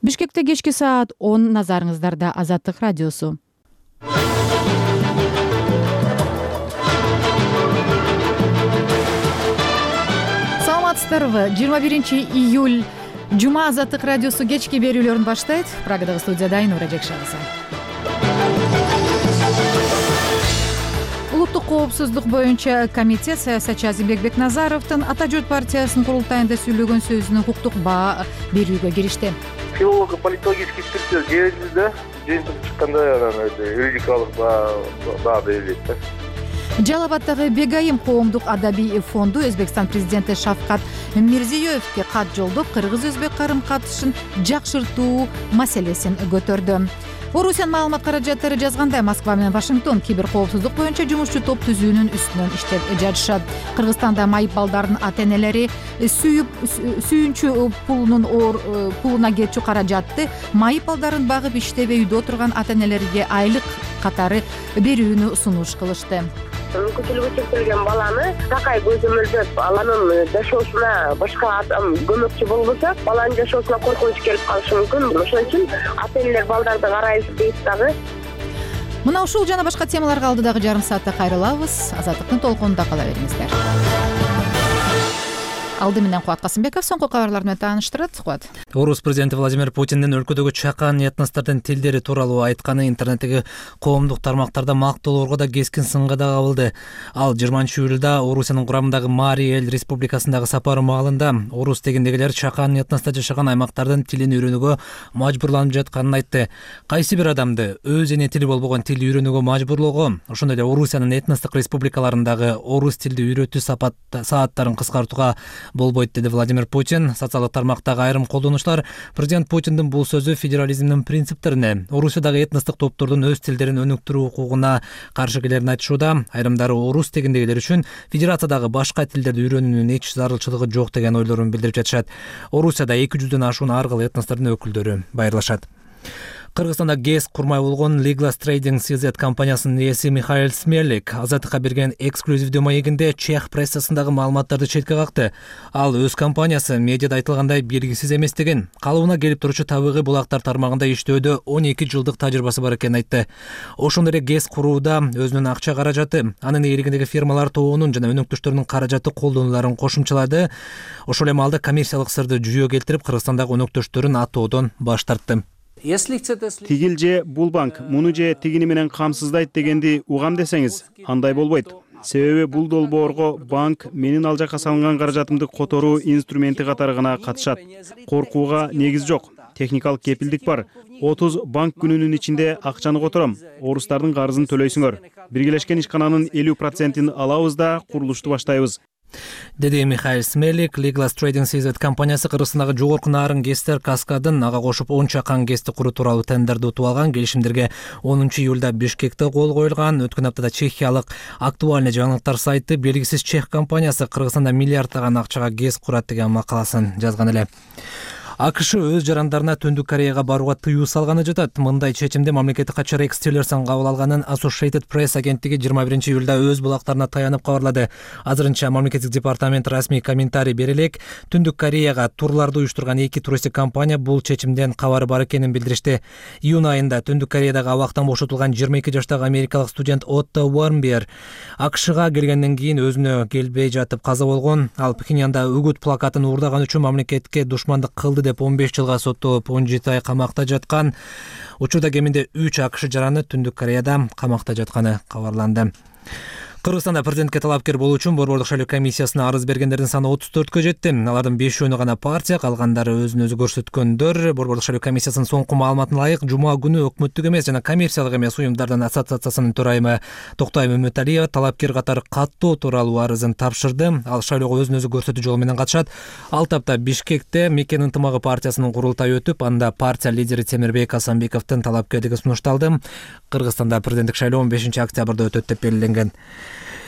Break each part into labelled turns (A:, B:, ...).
A: Бишкекте кечки саат 10 назарыңыздарда Азаттык радиосу. Саламатсыздарбы? 21-июль Жума Азаттык радиосу кечки берүүлөрүн баштайт. Прагадагы студияда Айнура Жекшанова. Улуттук коопсуздук боюнча комитет саясатчы Азимбек Бекназаровдун Ата журт партиясынын курултайында сүйлөгөн сөзүнө укуктук баа берүүгө киришти.
B: Филолого-политологический экспертиза жиберилди, жыйынтык чыкканда юридикалык баа берилет да.
A: Жалал Абаддагы Бегайым коомдук адабий фонду Өзбекстан президенти Шавкат Мирзиёевге кат жолдоп, кыргыз-өзбек карым-катышын жакшыртуу маселесин көтөрдү. Орусиянын маалымат каражаттары жазгандай, Москва менен Вашингтон кибер коопсуздук боюнча жумушчу топ түзүүнүн үстүнөн иштеп жатышат. Кыргызстанда майып балдардын ата-энелери сүйүнчү пулуна кетчү каражатты майып балдарын багып иштебей үйдө отурган ата-энелерге айлык катары берүүнү сунуш кылышты.
C: Мүмкүнчүлүгү чектелген баланы такай көзөмөлдөп, анын жашоосуна башка адам көмөкчү болбосо, баланын жашоосуна коркунуч келип калышы мүмкүн. Ошон үчүн ата-энелер балдарды карайбыз дейт дагы.
A: Мына ушул жана башка темаларга алдыдагы жарым саатта кайрылабыз. Азаттыктын толкунунда кала бериңиздер. Алды менен Кубат Касымбеков соңку кабарлар менен тааныштырат. Кубат.
D: Орус президенти Владимир Путиндин өлкөдөгү чакан этностордун тилдери тууралуу айтканы интернеттеги коомдук тармактарда мактоолорго да кескин сынга да кабылды. Ал 20-июлда Орусиянын курамындагы Мари эл республикасындагы сапары маалында орус тегиндегилер чакан этносто жашаган аймактардын тилин үйрөнүүгө мажбурланып жатканын айтты. Кайсы бир адамды өз эне тили болбогон тил үйрөнүүгө мажбурлоого, ошондой эле Орусиянын этностук республикаларындагы орус тилди үйрөтүү сааттарын кыскартууга болбойт, деди Владимир Путин. Социалдык тармактагы айрым колдонуучулар президент Путиндин бул сөзү федерализмдин принциптерине, Орусиядагы этностук топтордун өз тилдерин өнүктүрүү укугуна каршы келерин айтышууда. Айрымдары орус тегиндегилер үчүн федерациядагы башка тилдерди үйрөнүүнүн эч зарылчылыгы жок деген ойлорун билдирип жатышат. Орусияда 200дөн ашуун ар кыл этностордун өкүлдөрү байырлашат. Кыргызстанда ГЭС курмай болгон Legal Trading CZ компаниясынын ээси Михаил Смерлик Азаттыкка берген эксклюзивдүү маегинде чех прессасындагы маалыматтарды четке какты. Ал өз компаниясы медиада айтылгандай белгисиз эместигин, калыбына келип турчу табигый булактар тармагында иштөөдө 12 жылдык тажрыйбасы бар экенин айтты. Ошондой эле ГЭС курууда өзүнүн акча каражаты, анын ээлигиндеги фирмалар тобунун жана өнөктөштөрүнүн каражаты колдонуларын кошумчалады. Ошол эми алда коммерциялык сырды жүйө келтирип, Кыргызстандагы өнөктөштөрүн атоодон баш тартты.
E: Тигил же бул банк муну же тигини менен камсыздайт дегенди угам десеңиз, андай болбойт. Себеби бул долбоорго банк менин ал жакка салынган каражатымды которуу инструменти катары гана катышат. Коркууга негиз жок. Техникалык кепилдик бар. 30 банк күнүнүн ичинде акчаны котором. Орустардын карызын төлөйсүңөр. Биргелешкен ишкананын 50%-ин алабыз да курулушту баштайбыз,
D: деди Михаил Смерлик. Legal Trading CZ компаниясы Кыргызстандагы жогорку наарын ГЭСтер каскадын ага кошуп 10 чакан ГЭСти куруу тууралуу тендерди утуп алган. Келишимдерге 10-июлда Бишкекте кол коюлган. Өткөн аптада чехиялык актуальный жаңылыктар сайты белгисиз чех компаниясы Кыргызстанда миллиарддаган акчага ГЭС курат деген макаласын жазган эле. АКШ өз жарандарына Түндүк Кореяга барууга тыюу салганы жатат. Мындай чечимди мамлекеттик катчы Рекс Тиллерсон кабыл алганын Associated Press агенттиги 21-июлда өз булактарына таянып кабарлады. Азырынча мамлекеттик департамент расмий комментарий бере элек. Түндүк Кореяга турларды уюштурган 2 туристик компания бул чечимден кабары бар экенин билдиришти. Июнь айында Түндүк Кореядагы абактан бошотулган 22 жаштагы америкалык студент Отто Уормбер АКШга келгенден кийин өзүнө келбей жатып каза болгон. Ал Пхеньянда үгүт плакатын уурдаган үчүн мамлекетке душмандык кылды деп 15 жылга соттолуп 17 ай камакта жаткан. Учурда кеминде 3 АКШ жараны Түндүк Кореяда камакта жатканы кабарланды. Кыргызстанда президентке талапкер болуу үчүн Борбордук шайлоо комиссиясына арыз бергендердин саны 34кө жетти. Алардын 5-өөнү гана партия, калгандары өзүн өзү көрсөткөндөр. Борбордук шайлоо комиссиясынын соңку маалыматына ылайык, жума күнү өкмөттүк эмес жана коммерциялык эмес уюмдардын ассоциациясынын төрайымы Токтой Мөмөталиева талапкер катары каттоо тууралуу арызын тапшырды. Ал шайлоого өзүн өзү көрсөтүү жолу менен катышат. Ал тапта Бишкекте Мекен ынтымагы партиясынын курултайы өтүп, анда партия лидери Темирбек Асанбековдун талапкерлиги сунушталды. Кыргызстанда президенттик шайлоо 15 октябрда өтөт деп белгиленген.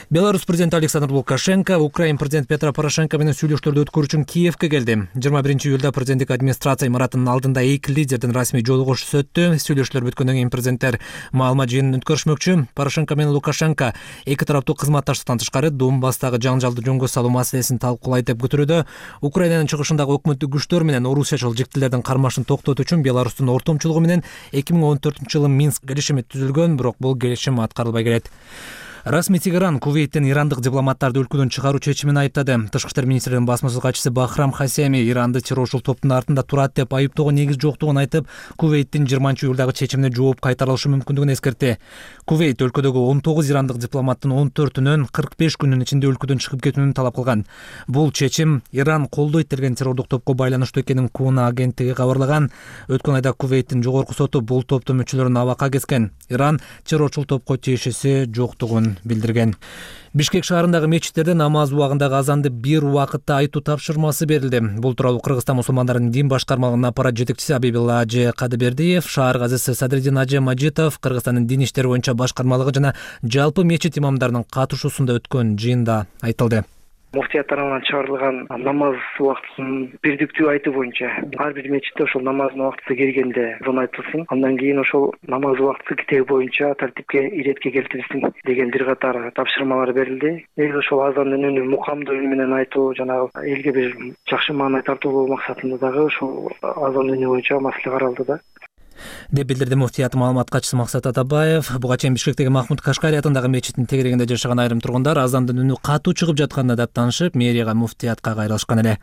D: Беларусь президенти Александр Лукашенко Украин президенти Петро Порошенко менен сүйлөшүүлөрдү өткөрүү үчүн Киевке келди. 21-июлда президенттик администрация имаратынын алдында эки лидердин расмий жолугушуусу өттү. Сүйлөшүүлөр бүткөндөн кийин президенттер маалымат жыйынын өткөрүшмөкчү. Порошенко менен Лукашенко эки тараптуу кызматташтыктан тышкары Донбасстагы жаңжалды жөнгө салуу маселесин талкуулайт деп күтүлүүдө. Украинанын чыгышындагы өкмөттүк күчтөр менен орусиячыл жиктилердин кармашын токтотуу үчүн Беларустун ортомчулугу менен 2014-жылы Минск келишими түзүлгөн, бирок бул келишим аткарылбай келет. Расмий Тегеран Кувейттен ирандык дипломаттарды өлкөдөн чыгаруу чечимин айыптады. Тышкы иштер министринин басма сөз катчысы Бахрам Хасеми Иранды террорчул топтун артында турат деп айыптоого негиз жоктугун айтып, Кувейттин 20-июлдагы чечимине жооп кайтарылышы мүмкүндүгүн эскертти. Кувейт өлкөдөгү 19 ирандык дипломаттын 14-үнүн 45 күнүн ичинде өлкөдөн чыгып кетүүнү талап кылган. Бул чечим Иран колдойт деген террордук топко байланыштуу экенин Куна агенттиги кабарлаган. Өткөн айда Кувейттин жогорку соту бул топтун мүчөлөрүн абакка кескен. Иран террорчул топко тиешеси жоктугун билдирген. Бишкек шаарындагы мечиттерде намаз убагындагы азанды бир убакытта айтуу тапшырмасы берилди. Бул тууралуу Кыргызстан мусулмандарынын дин башкармалыгынын аппарат жетекчиси Абибилла Ажы Кадыбердиев, шаар казысы Садриддин Ажы Мажитов, Кыргызстандын дин иштери боюнча башкармалыгы жана жалпы мечит имамдарынын катышуусунда өткөн жыйында айтылды.
F: Муфтият тарабынан чыгарылган намаз убактысын бирдиктүү айтуу боюнча ар бир мечитте ошол намаздын убактысы келгенде азан айтылсын. Андан кийин ошол намаз убактысы китеби боюнча тартипке иретке келтирилсин деген бир катар тапшырмалар берилди. Негизи ошол азандын үнү мукамдуу үн менен айтуу, жанагы элге бир жакшы маанай тартуулоо максатында дагы ошол азан үнү боюнча маселе каралды да.
D: Деп билдирди муфтият маалымат катчысы Максат Атабаев. Буга чейин Бишкектеги Махмуд Кашкари атындагы мечиттин тегерегинде жашаган айрым тургундар азандын үнү катуу чыгып жатканына даттанышып, мэрияга муфтиятка кайрылышкан эле.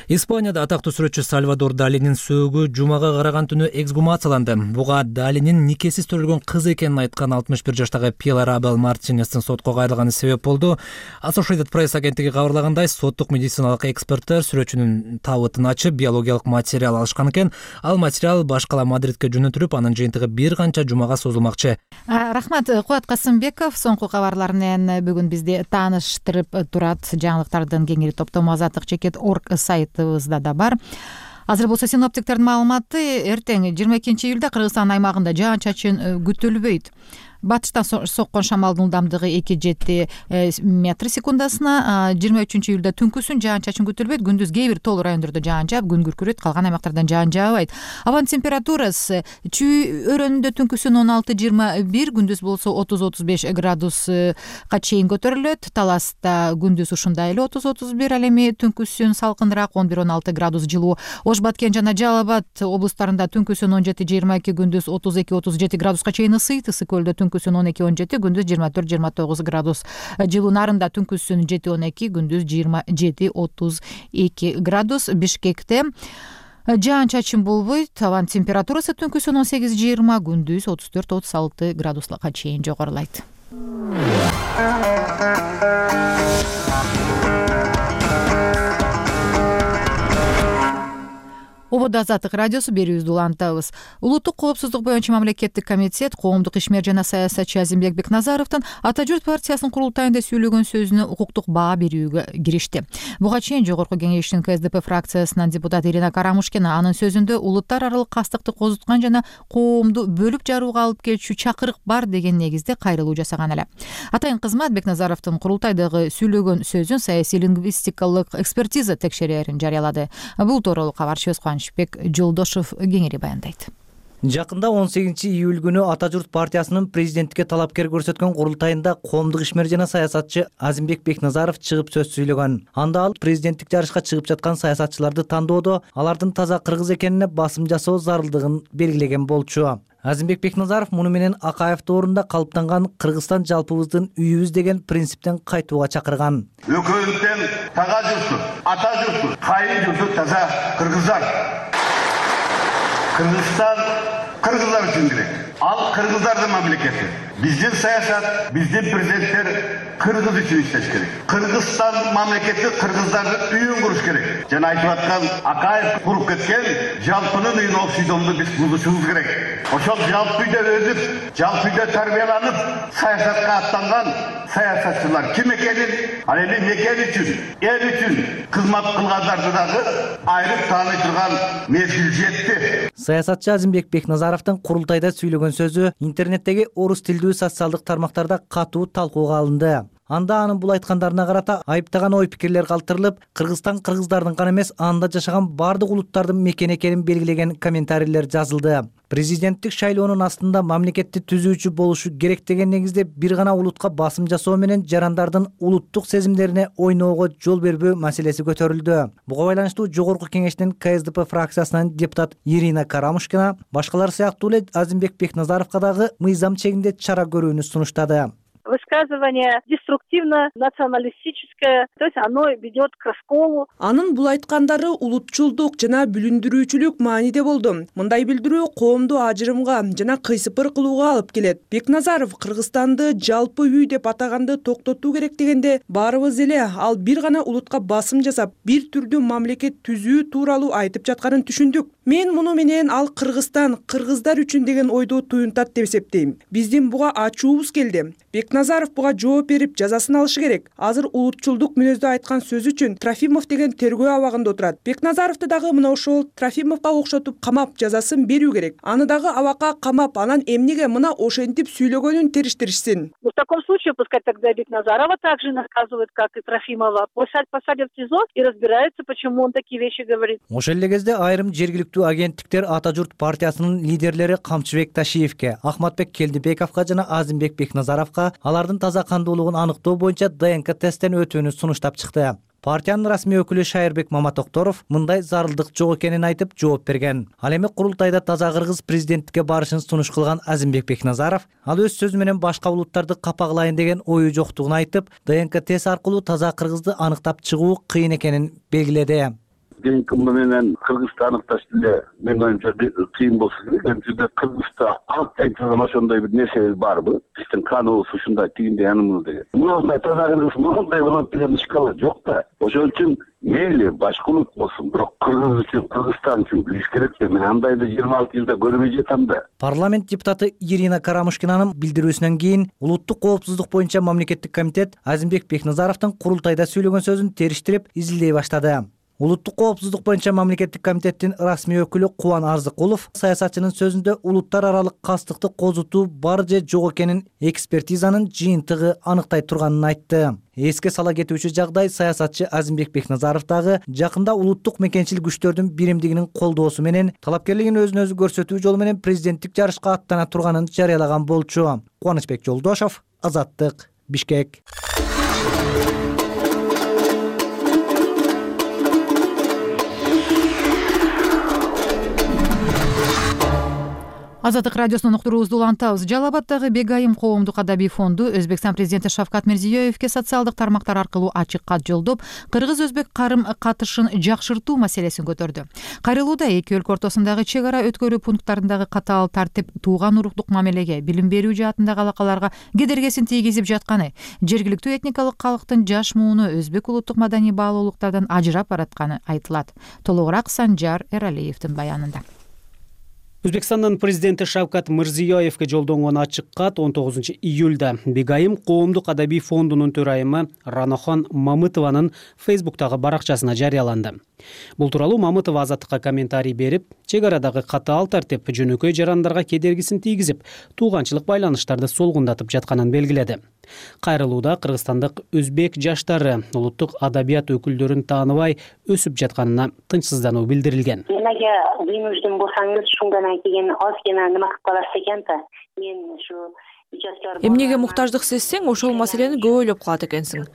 D: Испанияда атактуу сүрөтчү Сальвадор Далинин сөөгү жумага караган түнү эксгумацияланды. Буга Далинин никесиз төрөлгөн кыз экенин айткан 61 жаштагы Пилар Абел Мартинестин сотко кайрылганы себеп болду. Associated Press агенттиги кабарлагандай, соттук медициналык эксперттер сүрөтчүнүн табытын ачып, биологиялык материал алышкан экен. Ал материал башкала Мадридке жөнөтүлүп, анын жыйынтыгы бир канча жумага созулмакчы.
A: Рахмат, Куат Касымбеков соңку кабарлар менен бүгүн бизди тааныштырып турат. Жаңылыктардын кеңири топтому azatlyk.org сайтыбызда да бар. Азыр болсо синоптиктердин маалыматы: эртең 22-июлда Кыргызстан аймагында жаан-чачын күтүлбөйт. Батыштан соккон шамалдын ылдамдыгы 2,7 метр секундасына. 23-июлда түнкүсүн жаан-чачын күтүлбөйт. Күндүз кээ бир тоолуу райондордо жаан жаап, күн күркүрөйт, калган аймактардан жаан жаабайт. Абанын температурасы чүй өрөөнүндө түнкүсүн 16-21, күндүз болсо 30-35 градуска чейин көтөрүлөт. Таласта күндүз ушундай эле 30-31, ал эми түнкүсүн салкыныраак 11-16 градус жылуу. Ош Баткен жана Жалал Абад облустарында түнкүсүн 17-22, күндүз 32-37 градуска чейин ысыйт. Ысык көлдө түнкүсүн 12-17, күндүз 24-29 градус жылуу. Нарында түнкүсүн 7-12, күндүз 27-32 градус. Бишкекте жаан-чачын болбойт. Абанын температурасы түнкүсүн 18-20, күндүз 34-36 градуска чейин жогорулайт. Ободо Азаттык радиосу берүүбүздү улантабыз. Улуттук коопсуздук боюнча мамлекеттик комитет коомдук ишмер жана саясатчы Азимбек Бекназаровдун Ата журт партиясынын курултайында сүйлөгөн сөзүнө укуктук баа берүүгө киришти. Буга чейин жогорку кеңештин КСДП фракциясынан депутат Ирина Карамушкина анын сөзүндө улуттар аралык кастыкты козуткан жана коомду бөлүп жарууга алып келчү чакырык бар деген негизде кайрылуу жасаган эле. Атайын кызмат Бекназаровдун курултайдагы сүйлөгөн сөзүн саясий лингвистикалык экспертиза текшерерин жарыялады. Бул тууралуу кабарчыбыз Кубанычбек Жолдошов кеңири баяндайт.
G: Жакында 18-июль күнү Ата журт партиясынын президенттикке талапкер көрсөткөн курултайында коомдук ишмер жана саясатчы Азимбек Бекназаров чыгып сөз сүйлөгөн. Анда ал президенттик жарышка чыгып жаткан саясатчыларды тандоодо алардын таза кыргыз экенине басым жасоо зарылдыгын белгилеген болчу. Азимбек Бекназаров муну менен Акаев доорунда калыптанган Кыргызстан жалпыбыздын үйүбүз деген принциптен кайтууга чакырган.
H: Өкмөттөн тага журту, ата журту, кайын журту таза кыргыздар. Кыргызстан кыргыздар үчүн керек. Ал кыргыздардын мамлекети. Биздин саясат, биздин президенттер кыргыз үчүн иштеш керек. Кыргызстан мамлекети кыргыздардын үйүн куруш керек. Жана айтып аткан Акаев куруп кеткен жалпынын үйүн окшойдонду биз бузушубуз керек. Ошол жалпы үйдө өсүп, жалпы үйдө тарбияланып, саясатка аттанган саясатчылар ким экенин, ал эми мекен үчүн, эл үчүн кызмат кылгандарды дагы айрып тааный турган мезгил жетти.
G: Саясатчы Азимбек Бекназаровдун курултайда сүйлөгөн сөзү интернеттеги орус тилдүү социалдык тармактарда катуу талкууга алынды. Анда анын бул айткандарына карата айыптаган ой пикирлер калтырылып, Кыргызстан кыргыздардын гана эмес, анда жашаган бардык улуттардын мекени экенин белгилеген комментарийлер жазылды. Президенттик шайлоонун астында мамлекетти түзүүчү болушу керек деген негизде бир гана улутка басым жасоо менен жарандардын улуттук сезимдерине ойноого жол бербөө маселеси көтөрүлдү. Буга байланыштуу Жогорку Кеңештин КСДП фракциясынан депутат Ирина Карамушкина башкалар сыяктуу эле Азимбек Бекназаровго дагы мыйзам чегинде чара көрүүнү сунуштады.
I: Высказывание деструктивно, националистическое, то есть оно ведет к расколу.
J: Анын бул айткандары улутчулдук жана бүлүндүрүүчүлүк мааниде болду. Мындай билдирүү коомду ажырымга жана кыйсыпыр кылууга алып келет. Бекназаров Кыргызстанды жалпы үй деп атаганды токтотуу керек дегенде баарыбыз эле ал бир гана улутка басым жасап, бир түрдүү мамлекет түзүү тууралуу айтып жатканын түшүндүк. Мен муну менен ал Кыргызстан, кыргыздар үчүн деген ойду туюнтат деп эсептейм. Биздин буга ачуубуз келди. Бекназаров буга жооп берип, жазасын алышы керек. Азыр улутчулдук мүнөздө айткан сөзү үчүн Трофимов деген тергөө абагында отурат. Бекназаровду дагы мына ошол Трофимовго окшотуп камап, жазасын берүү керек. Аны дагы абакка камап, анан эмнеге мына ошентип сүйлөгөнүн териштиришсин.
I: В таком случае пускай тогда Бекназарова также наказывают, как и Трофимова. Посадят в СИЗО и разбираются, почему он такие вещи говорит.
G: Ошол эле кезде айрым жергиликтүү агенттиктер Ата журт партиясынын лидерлери Камчыбек Ташиевке, Ахматбек Келдибековго жана Азимбек Бекназаровго алардын таза кандуулугун аныктоо боюнча ДНК тесттен өтүүнү сунуштап чыкты. Партиянын расмий өкүлү Шайырбек Маматокторов мындай зарылдык жок экенин айтып жооп берген. Ал эми курултайда таза кыргыз президенттикке барышын сунуш кылган Азимбек Бекназаров ал өз сөзү менен башка улуттарды капагылайын деген ою жоктугун айтып, ДНК тест аркылуу таза кыргызды аныктап чыгуу кыйын экенин белгиледи.
H: ДНК менен Кыргызды аныкташ деле менин оюмча кыйын болсо керек. Анткени Кыргызда айтылган ошондой бир нерсе барбы? Биздин каныбыз ушундай тигиндей анымыз деген. Мындай таза кыргыз мындай болот деген ишкала жок да. Ошон үчүн мейли башка улут болсун, бирок Кыргыз үчүн, Кыргызстан үчүн билиш керек да. Мен андайды 26 жылда көрбөй жатам да.
G: Парламент депутаты Ирина Карамушкинанын билдирүүсүнөн кийин улуттук коопсуздук боюнча мамлекеттик комитет Азимбек Бекназаровдун курултайда сүйлөгөн сөзүн териштирип изилдей баштады. Улуттук коопсуздук боюнча мамлекеттик комитеттин расмий өкүлү Кубан Арзыкулов саясатчынын сөзүндө улуттар аралык кастыкты козутуу бар же жок экенин экспертизанын жыйынтыгы аныктай турганын айтты. Эске сала кетүүчү жагдай саясатчы Азимбек Бекназаров дагы жакында улуттук мекенчил күчтөрдүн биримдигинин колдоосу менен талапкерлигин өзүн өзү көрсөтүү жолу менен президенттик жарышка аттана турганын жарыялаган болчу. Кубанычбек Жолдошов, Азаттык, Бишкек.
A: Азаттык радиосунун уктуруубузду улантабыз. Жалал Абаддагы Бегайым коомдук адабий фонду Өзбекстан президенти Шавкат Мирзиёевке социалдык тармактар аркылуу ачык кат жолдоп, кыргыз-өзбек карым катышын жакшыртуу маселесин көтөрдү. Кайрылууда эки өлкө ортосундагы чек ара өткөрүү пункттарындагы катаал тартип тууган уруктук мамилеге, билим берүү жаатындагы алакаларга кедергисин тийгизип жатканы, жергиликтүү этникалык калктын жаш мууну өзбек улуттук маданий баалуулуктардан ажырап баратканы айтылат. Толугураак Санжар Эралиевдин баянында.
K: Өзбекстандын президенти Шавкат Мирзиёевке жолдонгон ачык кат 19 июлда Бегайым коомдук адабий фондунун төрайымы Ранохон Мамытованын Фейсбуктагы баракчасына жарыяланды. Бул тууралуу Мамытова Азаттыкка комментарий берип, чек арадагы катаал тартип жөнөкөй жарандарга кедергисин тийгизип, тууганчылык байланыштарды солгундатып жатканын белгиледи. Кайрылууда кыргызстандык өзбек жаштары улуттук адабият өкүлдөрүн тааныбай өсүп жатканына тынчсыздануу билдирилген.
C: Эмнеге бүйүнүздүн болсаңыз, шундан кийин озгина нема кылып каласыз экен да. Мен ушу
J: эмнеге муктаждык сезсең, ошол маселени көп ойлоп калат экенсиң.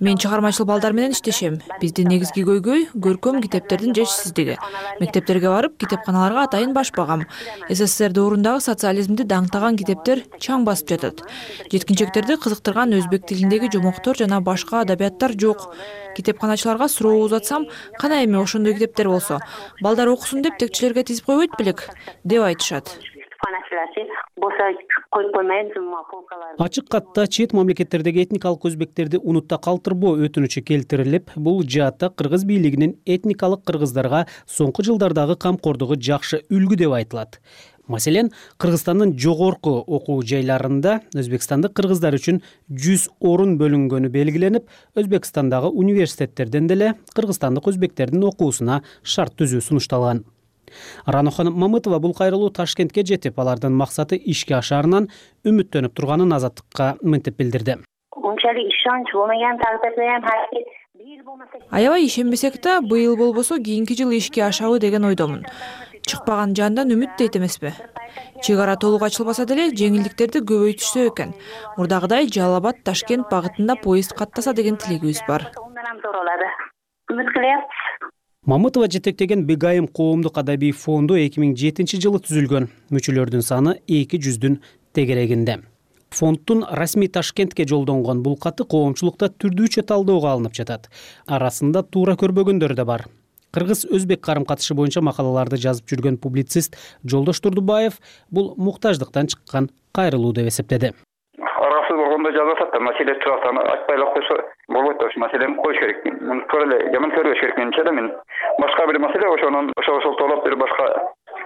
J: Мен чыгармачыл балдар менен иштешем. Биздин негизги көйгөй көркөм китептердин жетишсиздиги. Мектептерге барып, китепканаларга атайын башпагам. СССР доорундагы социализмди даңктаган китептер чаң басып жатат. Жеткинчектерди кызыктырган өзбек тилиндеги жомоктор жана башка адабияттар жок. Китепканачыларга суроо узатсам, кана эми ошондой китептер болсо, балдар окусун деп текчилерге тизип койбойт белек, деп айтышат.
K: Ачык катта чет мамлекеттердеги этникалык өзбектерди унутта калтырбоо өтүнүчү келтирилип, бул жаатта кыргыз бийлигинин этникалык кыргыздарга соңку жылдардагы камкордугу жакшы үлгү деп айтылат. Маселен, Кыргызстандын жогорку окуу жайларында өзбекстандык кыргыздар үчүн 100 орун бөлүнгөнү белгиленип, Өзбекстандагы университеттерден деле кыргызстандык өзбектердин окуусуна шарт түзүү сунушталган. Ранохон Мамытова бул кайрылуу Ташкентке жетип, алардын максаты ишке ашаарынан үмүттөнүп турганын Азаттыкка мынтип билдирди.
C: унчалык ишенч болмаган тагдырда ham бир болмаса
L: аябай ишенбесек да быйыл болбосо кийинки жылы ишке ашабы деген ойдомун. Чыкпаган жандан үмүт дейт эмеспи. Чек ара толук ачылбаса деле жеңилдиктерди көбөйтүшсө экен. Мурдагыдай Жалал Абад Ташкент багытында поезд каттаса деген тилегибиз бар.
C: Үмүт кылабыз.
K: Мамытова жетектеген Бегайым коомдук адабий фонду 2007 жылы түзүлгөн. Мүчөлөрдүн саны 200-дүн тегерегинде. Фонддун расмий Ташкентке жолдонгон бул каты коомчулукта түрдүүчө талдөөгө алынып жатат. Арасында туура көрбөгөндөр да бар. Кыргыз-өзбек карым-катышы боюнча макалаларды жазып жүргөн публицист Жолдош Турдубаев бул муктаждыктан чыккан кайрылуу деп эсептеди.
M: Арасы болгондо жазып атат да, маселе турат, аны айтпай эле койсо болбойт да, ошо маселени коюш керек. Муну туура эле жаман көрбөш керек менимче да. Мен башка бир маселе ошонун ошол толоп бир башка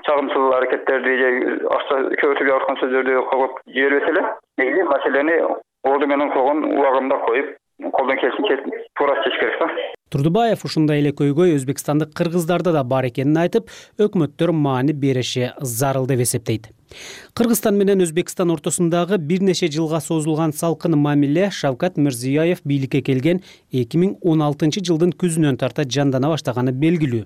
M: чагымсыз аракеттерди же акча көбөйтүп жаткан сөздөрдү когоп жибербесе эле, негизи маселени орду менен койгон убагында коюп, колдон келишинче туура чечиш керек да.
K: Турдубаев ушундай эле көйгөй өзбекстандык кыргыздарда да бар экенин айтып, өкмөттөр маани бериши зарыл деп эсептейт. Кыргызстан менен Өзбекстан ортосундагы бир нече жылга созулган салкын мамиле Шавкат Мирзиёев бийликке келген 2016 жылдын күзүнөн тарта жандана баштаганы белгилүү.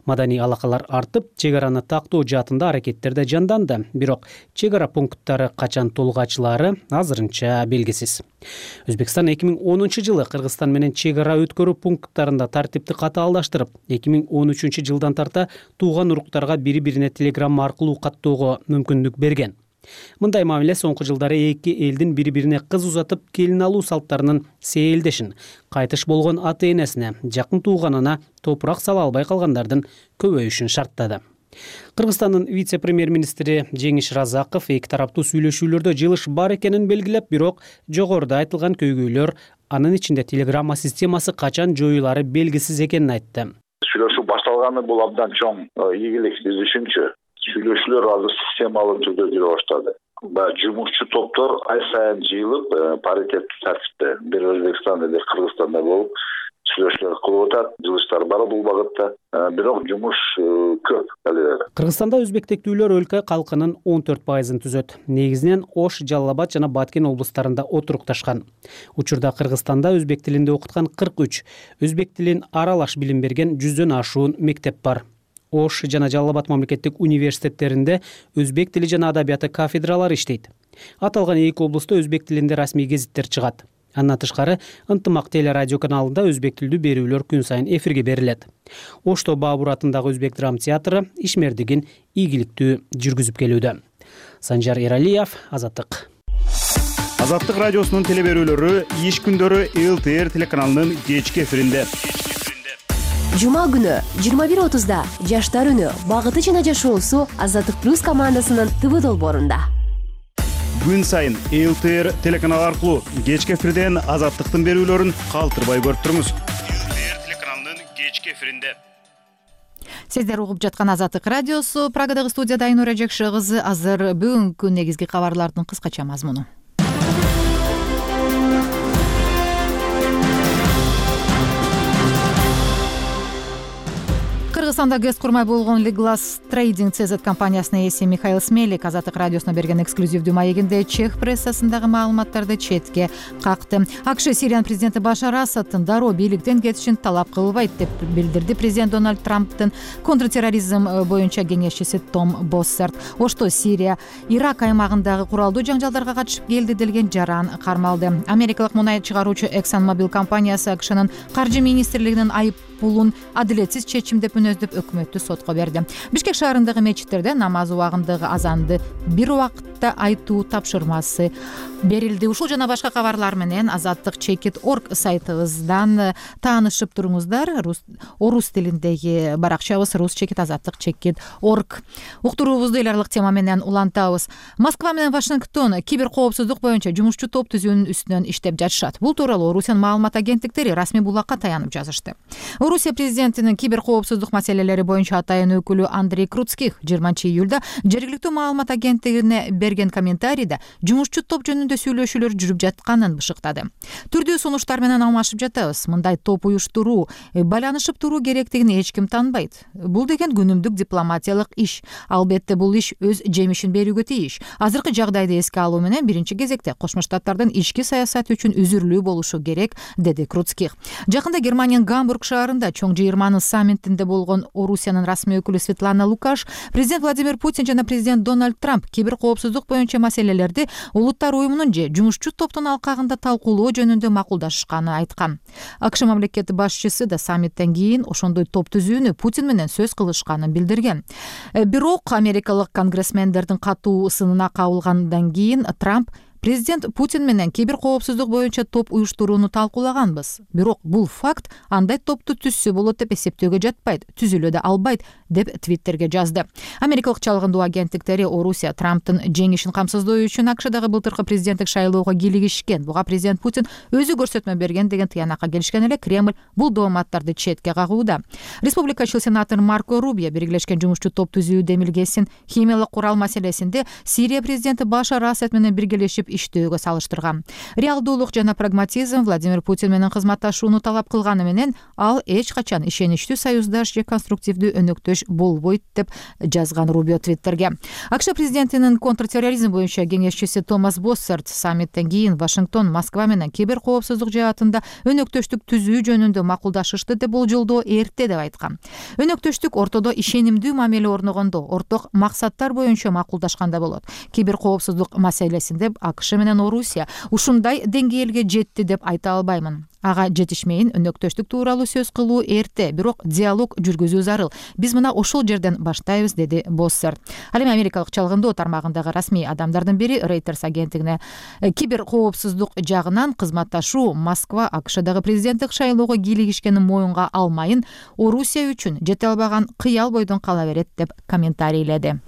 K: Маданий алакалар артып, чек араны тактоо жаатында аракеттер да жанданды. Бирок чек ара пункттары качан толук ачылаары азырынча белгисиз. Өзбекстан 2010 жылы Кыргызстан менен чек ара өткөрүү пункттарында тартипти катаалдаштырып, 2013 жылдан тарта тууган уруктарга бири-бирине телеграмма аркылуу каттоого мүмкүндүк берген. Мындай мамиле соңку жылдары эки элдин бири-бирине кыз узатып келин алуу салттарынын сейилдешин, кайтыш болгон ата-энесине, жакын тууганына топурак сала албай калгандардын көбөйүшүн шарттады. Кыргызстандын вице-премьер-министри Жеңиш Разаков эки тараптуу сүйлөшүүлөрдө жылыш бар экенин белгилеп, бирок жогоруда айтылган көйгөйлөр, анын ичинде телеграмма системасы качан жоюлары белгисиз экенин айтты.
N: Сүйлөшүү башталганы бул абдан чоң ийгилик биз үчүнчү. Сүйлөшүүлөр азыр системалык түрдө жүрө баштады. Жумушчу топтор ай сайын жыйылып, паритеттүү тартипте бир Өзбекстанда, бир Кыргызстанда болуп сүйлөшүүлөр кылып атат, жылыштар бар бул багытта. Бирок жумуш көп алы.
K: Кыргызстанда өзбек тектүүлөр өлкө калкынын 14%-ын түзөт. Негизинен Ош, Жалал Абад жана Баткен облустарында отурукташкан. Учурда Кыргызстанда өзбек тилинде окуткан 43, өзбек тилин аралаш билим берген 100дөн ашуун мектеп бар. Ош жана Жалал Абад мамлекеттик университеттеринде өзбек тили жана адабияты кафедралары иштейт. Аталган эки облустта өзбек тилинде расмий гезиттер чыгат. Андан тышкары Ынтымак телерадио каналында өзбек тилдүү берүүлөр күн сайын эфирге берилет. Ошто Баабур атындагы өзбек драма театры ишмердигин ийгиликтүү жүргүзүп келүүдө. Санжар Эралиев, Азаттык.
E: Азаттык радиосунун теле берүүлөрү иш күндөрү ЛТР телеканалынын кечки эфиринде.
O: Жума күнү 21:30 Жаштар үнү багыты жана жашоосу Азаттык плюс командасынын ТВ долбоорунда.
E: Күн сайын ЛТР телеканалы аркылуу кечки эфирден Азаттыктын берүүлөрүн калтырбай көрүп туруңуз. ЛТР телеканалынын кечки эфиринде.
A: Сиздер угуп жаткан Азаттык радиосу, Прагадагы студияда Айнура Жекше кызы. Азыр бүгүнкү негизги кабарлардын кыскача мазмуну. Кыргызстанда гез курмай болгон Liglast Trading CZ компаниясынын ээси Михаил Смелик Азаттык радиосуна берген эксклюзивдүү маегинде чех прессасындагы маалыматтарды четке какты. АКШ Сириянын президенти Башар Асадтын дароо бийликтен кетишин талап кылбайт деп билдирди президент Дональд Трамптын контртерроризм боюнча кеңешчиси Том Боссерт. Ошто Сирия Ирак аймагындагы куралдуу жаңжалдарга катышып келди делген жаран кармалды. Америкалык мунай чыгаруучу ExxonMobil компаниясы АКШнын каржы министрлигинин айып пулун адилетсиз чечим деп мүнөздөп өкмөттү сотко берди. Бишкек шаарындагы мечиттерде намаз убагындагы азанды бир убакытта айтуу тапшырмасы берилди. Ушул жана башка кабарлар менен Azattik.org сайтыбыздан таанышып туруңуздар. Орус тилиндеги баракчабыз rus.azattik.org. Уктуруубузду эл аралык тема менен улантабыз. Москва менен Вашингтон кибер коопсуздук боюнча жумушчу топ түзүүнүн үстүнөн иштеп жатышат. Бул тууралуу Орусиянын маалымат агенттиктери расмий булакка таянып жазышты. Орусия президентинин кибер коопсуздук маселелери боюнча атайын өкүлү Андрей Круцких 20 июлда жергиликтүү маалымат агенттигине берген комментарийде жумушчу топ жөнүндө жөнүндө сүйлөшүүлөр жүрүп жатканын бышыктады. Түрдүү сунуштар менен алмашып жатабыз. Мындай топ уюштуруу, байланышып туруу керектигин эч ким таанбайт. Бул деген күнүмдүк дипломатиялык иш. Албетте бул иш өз жемишин берүүгө тийиш. Азыркы жагдайды эске алуу менен биринчи кезекте Кошмо Штаттардын ички саясаты үчүн үзүрлүү болушу керек, деди Круцких. Жакында Германиянын Гамбург шаарында чоң жыйырманын саммитинде болгон Орусиянын расмий өкүлү Светлана Лукаш президент Владимир Путин жана президент Дональд Трамп кибер коопсуздук боюнча маселелерди улуттар уюмунун же жумушчу топтун алкагында талкуулоо жөнүндө макулдашышканын айткан. АКШ мамлекет башчысы да саммиттен кийин ошондой топ түзүүнү Путин менен сөз кылышканын билдирген. Бирок америкалык конгрессмендердин катуу сынына кабылгандан кийин Трамп президент Путин менен кибер коопсуздук боюнча топ уюштурууну талкуулаганбыз. Бирок бул факт андай топту түзсө болот деп эсептөөгө жатпайт, түзүлө да албайт, деп Твиттерге жазды. Америкалык чалгындуу агенттиктери Орусия Трамптын жеңишин камсыздоо үчүн АКШдагы былтыркы президенттик шайлоого кийлигишкен. Буга президент Путин өзү көрсөтмө берген деген тыянакка келишкен эле Кремль бул дооматтарды четке кагууда. Республикачыл сенатор Марко Рубио Биргелешкен жумушчу топ түзүү демилгесин химиялык курал маселесинде Сирия президенти Башар Асад менен биргелешип иштөөгө салыштырган. Реалдуулук жана прагматизм Владимир Путин менен кызматташууну талап кылганы менен ал эч качан ишеничтүү союздаш же конструктивдүү өнөктөш болбойт, деп жазган Рубио Твиттерге. АКШ президентинин контртерроризм боюнча кеңешчиси Томас Боссерт саммиттен кийин Вашингтон Москва менен кибер коопсуздук жаатында өнөктөштүк түзүү жөнүндө макулдашышты деп болжолдоо эрте деп айткан. Өнөктөштүк ортодо ишенимдүү мамиле орногондо, орток максаттар боюнча макулдашканда болот. Кибер коопсуздук маселесинде АКШ менен Орусия ушундай деңгээлге жетти деп айта албаймын. Ага жетишмейин өнөктөштүк тууралуу сөз кылуу эрте, бирок диалог жүргүзүү зарыл. Биз мына ошол жерден баштайбыз, деди Боссер. Ал эми америкалык чалгындоо тармагындагы расмий адамдардын бири Reuters агенттигине кибер коопсуздук жагынан кызматташуу Москва АКШдагы президенттик шайлоого кийлигишкенин моюнга алмайын, Орусия үчүн жете албаган кыял бойдон кала берет, деп комментарийледи.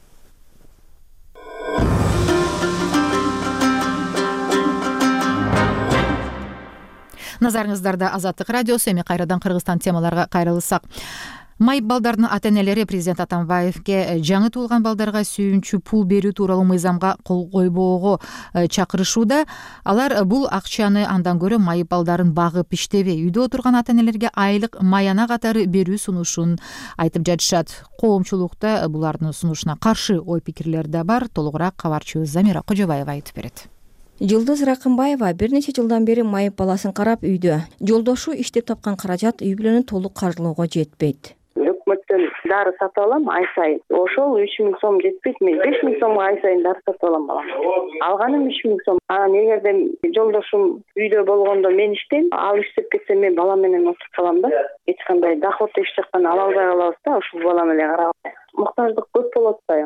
A: Назарыңыздарда Азаттык радиосу. Эми кайрадан Кыргызстан темаларга кайрылсак. Майып балдардын ата-энелери президент Атамбаевке жаңы туулган балдарга сүйүнчү пул берүү тууралуу мыйзамга кол койбоого чакырышууда. Алар бул акчаны андан көрө майып балдарын багып иштебей, үйдө отурган ата-энелерге айлык маяна катары берүү сунушун айтып жатышат. Коомчулукта булардын сунушуна каршы ой-пикирлер да бар. Толугураак кабарчыбыз Замира Кожобаева айтып берет.
P: Жылдыз Ракымбаева бир нече жылдан бери майып баласын карап үйдө. Жолдошу иштеп тапкан каражат үй бүлөнү толук каржылоого жетпейт.
C: Өкмөттөн дары сатып алам ай сайын. Ошол 3000 сом жетпейт. Мен 5000 сомго ай сайын дары сатып алам балам. Алганым 3000 сом. Анан эгерде жолдошум үйдө болгондо мен иштейм, ал иштеп кетсе мен балам менен отуруп калам да. Эч кандай доход эч жактан ала албай калабыз да, ушул бала менен карап. Муктаждык көп болот да.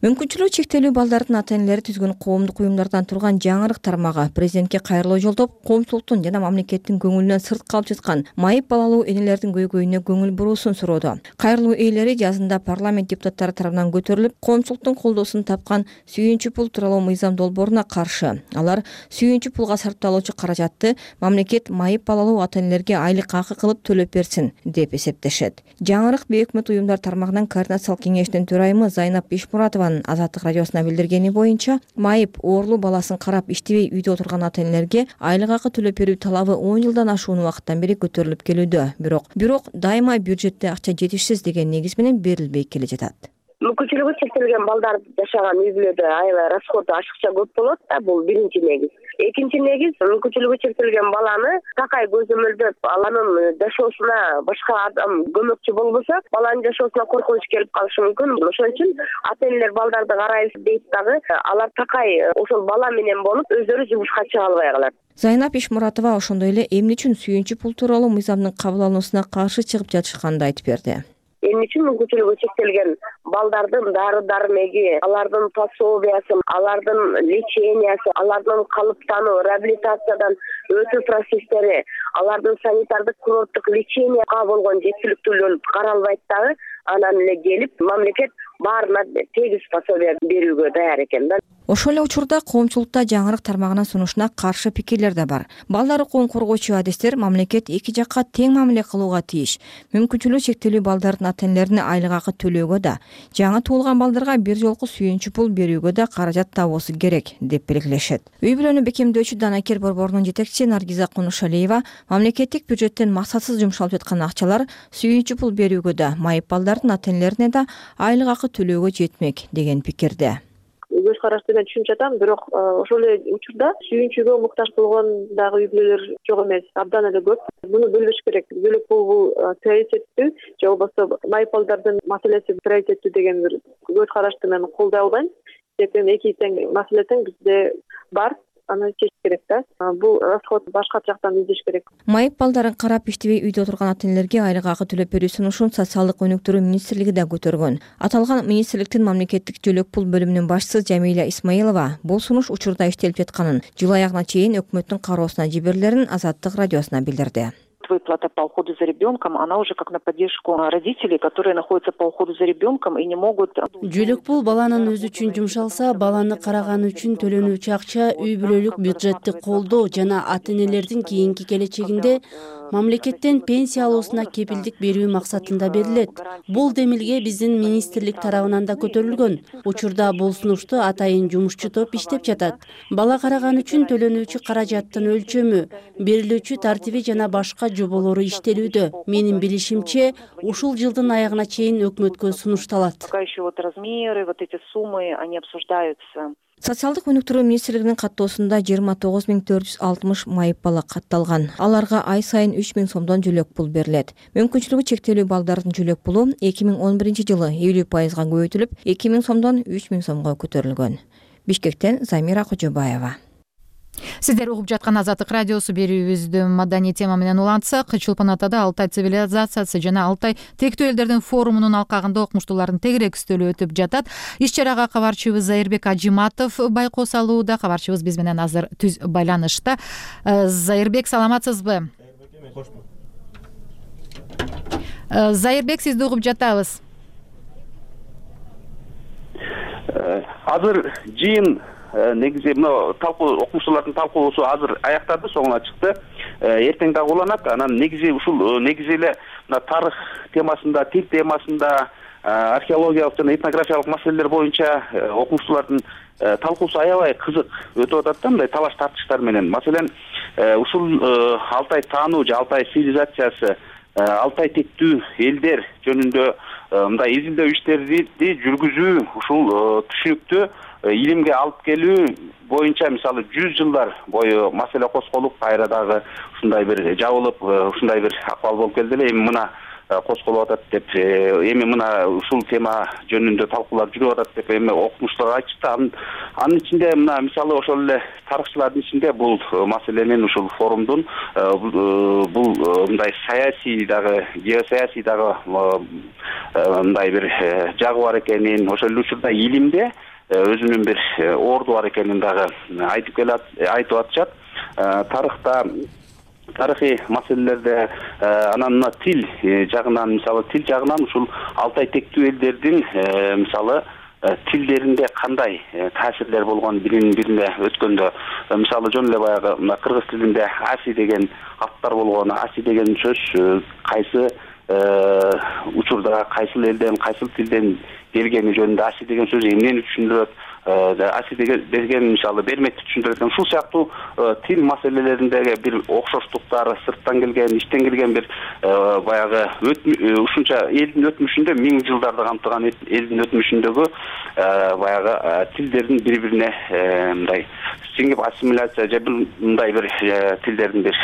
P: Мүмкүнчүлүгү чектелүү балдардын ата-энелери түзгөн коомдук уюмдардан турган жаңырык тармагы президентке кайрылуу жолдоп, коомчулуктун жана мамлекеттин көңүлүнөн сырт калып жаткан майып балалуу энелердин көйгөйүнө көңүл буруусун суроодо. Кайрылуу ээлери жазында парламент депутаттары тарабынан көтөрүлүп, коомчулуктун колдоосун тапкан сүйүнчү пул тууралуу мыйзам долбооруна каршы. Алар сүйүнчү пулга сарпталуучу каражатты мамлекет майып балалуу ата-энелерге айлык акы кылып төлөп берсин деп эсептешет. Жаңырык бейөкмөт уюмдар тармагынан координациялык кеңештин төрайымы Зайнап Бишмуратованын Азаттык радиосуна билдиргени боюнча, майып ooрлуу баласын карап иштебей үйдө отурган ата-энелерге айлык акы төлөп берүү талабы 10 жылдан ашуун убакыттан бери көтөрүлүп келүүдө. Бирок дайыма бюджетте акча жетишсиз деген негиз менен берилбей келе жатат.
C: Мүмкүнчүлүгү чектелген балдар жашаган үй бүлөдө аябай расходу ашыкча көп болот да, бул биринчи негиз. Экинчи негиз, мүмкүнчүлүгү чектелген баланы такай көзөмөлдөп, анын жашоосуна башка адам көмөкчү болбосо, баланын жашоосуна коркунуч келип калышы мүмкүн. Ошон үчүн ата-энелер балдарды карайбыз дейт дагы, алар такай ошол бала менен болуп, өздөрү жумушка чыга албай калат.
P: Зайнап Ишмуратова ошондой эле эмне үчүн сүйүнчү пул тууралуу мыйзамдын кабыл алынуусуна каршы чыгып жатышканын айтып берди.
C: Эмне үчүн мүмкүнчүлүгү чектелген балдардын дары-дармеги, алардын пособиясы, алардын лечениясы, алардын калыптануу, реабилитациядан өтүү процесстери, алардын санитардык курорттук леченияга болгон жеткиликтүүлүгү каралбайт дагы, анан эле келип мамлекет баарына тегиз пособие берүүгө даяр экен да.
P: Ошол эле учурда коомчулукта жаңырык тармагынын сунушуна каршы пикирлер да бар. Балдар укугун коргоочу адистер мамлекет эки жакка тең мамиле кылууга тийиш. Мүмкүнчүлүгү чектелүү балдардын ата-энелерине айлык акы төлөөгө да, жаңы туулган балдарга бир жолку сүйүнчү пул берүүгө да каражат табуусу керек деп белгилешет. Үй бүлөнү бекемдөөчү Данакер борборунун жетекчиси Наргиза Кунушалиева мамлекеттик бюджеттен максатсыз жумшалып жаткан акчалар сүйүнчү пул берүүгө да, майып балдардын ата-энелерине да айлык акы төлөөгө жетмек деген пикирде.
I: Көз карашты мен түшүнүп жатам, бирок ошол эле учурда сүйүнчүгө муктаж болгон дагы үй бүлөлөр жок эмес, абдан эле көп. Муну бөлүш керек. Бөлөк бул приоритеттүү же болбосо майып балдардын маселеси приоритеттүү деген бир көз карашты мен колдой албайм. Себеби эки тең маселе тең бизде бар. Аны чечиш керек да. Бул расход башка жактан издеш керек.
P: Майып балдарын карап иштебей үйдө отурган ата-энелерге айлык акы төлөп берүү сунушун социалдык өнүктүрүү министрлиги да көтөргөн. Аталган министрликтин мамлекеттик жөлөк пул бөлүмүнүн башчысы Жамиля Исмаилова бул сунуш учурда иштелип жатканын, жыл аягына чейин өкмөттүн кароосуна жиберилерин Азаттык радиосуна билдирди.
Q: Выплата по уходу за ребенком, она уже как на поддержку родителей, которые находятся по уходу за ребенком и не могут.
R: Жөлөк пул баланын өзү үчүн жумшалса, баланы караганы үчүн төлөнүүчү акча үй бүлөлүк бюджеттик колдоо жана ата-энелердин кийинки келечегинде мамлекеттен пенсия алуусуна кепилдик берүү максатында берилет. Бул демилге биздин министрлик тарабынан да көтөрүлгөн. Учурда бул сунушту атайын жумушчу топ иштеп жатат. Бала караган үчүн төлөнүүчү каражаттын өлчөмү, берилүүчү тартиби жана башка жоболору иштелүүдө. Менин билишимче, ушул жылдын аягына чейин өкмөткө сунушталат.
Q: Пока еще вот размеры, вот эти суммы, они обсуждаются.
P: Социалдык өнүктүрүү министрлигинин каттоосунда 29460 майып бала катталган. Аларга ай сайын 3000 сомдон жөлөк пул берилет. Мүмкүнчүлүгү чектелүү балдардын жөлөк пулу 2011-жылы 50% көбөйтүлүп, 2000 сомдон 3000 сомго көтөрүлгөн. Бишкектен Замира Кожобаева.
A: Сиздер угуп жаткан Азаттык радиосу берүүбүздү маданий тема менен улантсак, Чолпон Атада Алтай цивилизациясы жана Алтай тектүү элдердин форумунун алкагында окумуштуулардын тегерек үстөлү өтүп жатат. Иш чарага кабарчыбыз Зайырбек Ажиматов байкоо салууда. Кабарчыбыз биз менен азыр түз байланышта. Зайырбек, саламатсызбы? Зайырбек, сизди угуп жатабыз.
S: Азыр жыйын негизи мына окумуштуулардын талкуусу азыр аяктады, соңуна чыкты. Эртең дагы уланат. Анан негизи ушул негизи эле мына тарых темасында, тил темасында, археологиялык жана этнографиялык маселелер боюнча окумуштуулардын талкуусу аябай кызык өтүп атат да, мындай талаш тартыштар менен. Маселен, ушул Алтай таануу же Алтай цивилизациясы, Алтай тектүү элдер жөнүндө мындай изилдөө иштерди жүргүзүү, ушул түшүнүктү илимге алып келүү боюнча мисалы 100 жылдар бою маселе козголуп, кайра дагы ушундай бир жабылып, ушундай бир акыбал болуп келди эле. Эми мына козголуп атат деп, эми мына ушул тема жөнүндө талкуулар жүрүп атат деп эми окумуштуулар айтышты. Анын ичинде мына мисалы ошол эле тарыхчылардын ичинде бул маселенин, ушул форумдун бул мындай саясий дагы, геосаясий дагы мындай бир жагы бар экенин, ошол эле учурда илимде өзүнүн бир орду бар экенин дагы айтып атышат. Тарыхта, тарыхый маселелерде, анан мына тил жагынан, мисалы тил жагынан ушул Алтай тектүү элдердин мисалы тилдеринде кандай таасирлер болгон бирине өткөндө, мисалы жөн эле баягы кыргыз тилинде аси деген аттар болгон, аси деген сөз кайсы учурда кайсыл элден, кайсыл тилден келгени жөнүндө аси деген сөз эмнени түшүндүрөт, аси деген мисалы берметти түшүндүрөт. Ушул сыяктуу тил маселелериндеги бир окшоштуктар, сырттан келген, иштен келген бир баягы ушунча элдин өтмүшүндө, 1000 жылдарды камтыган элдин өтмүшүндөгү баягы тилдердин бири-бирине мындай сиңип ассимиляция же мындай бир тилдердин бир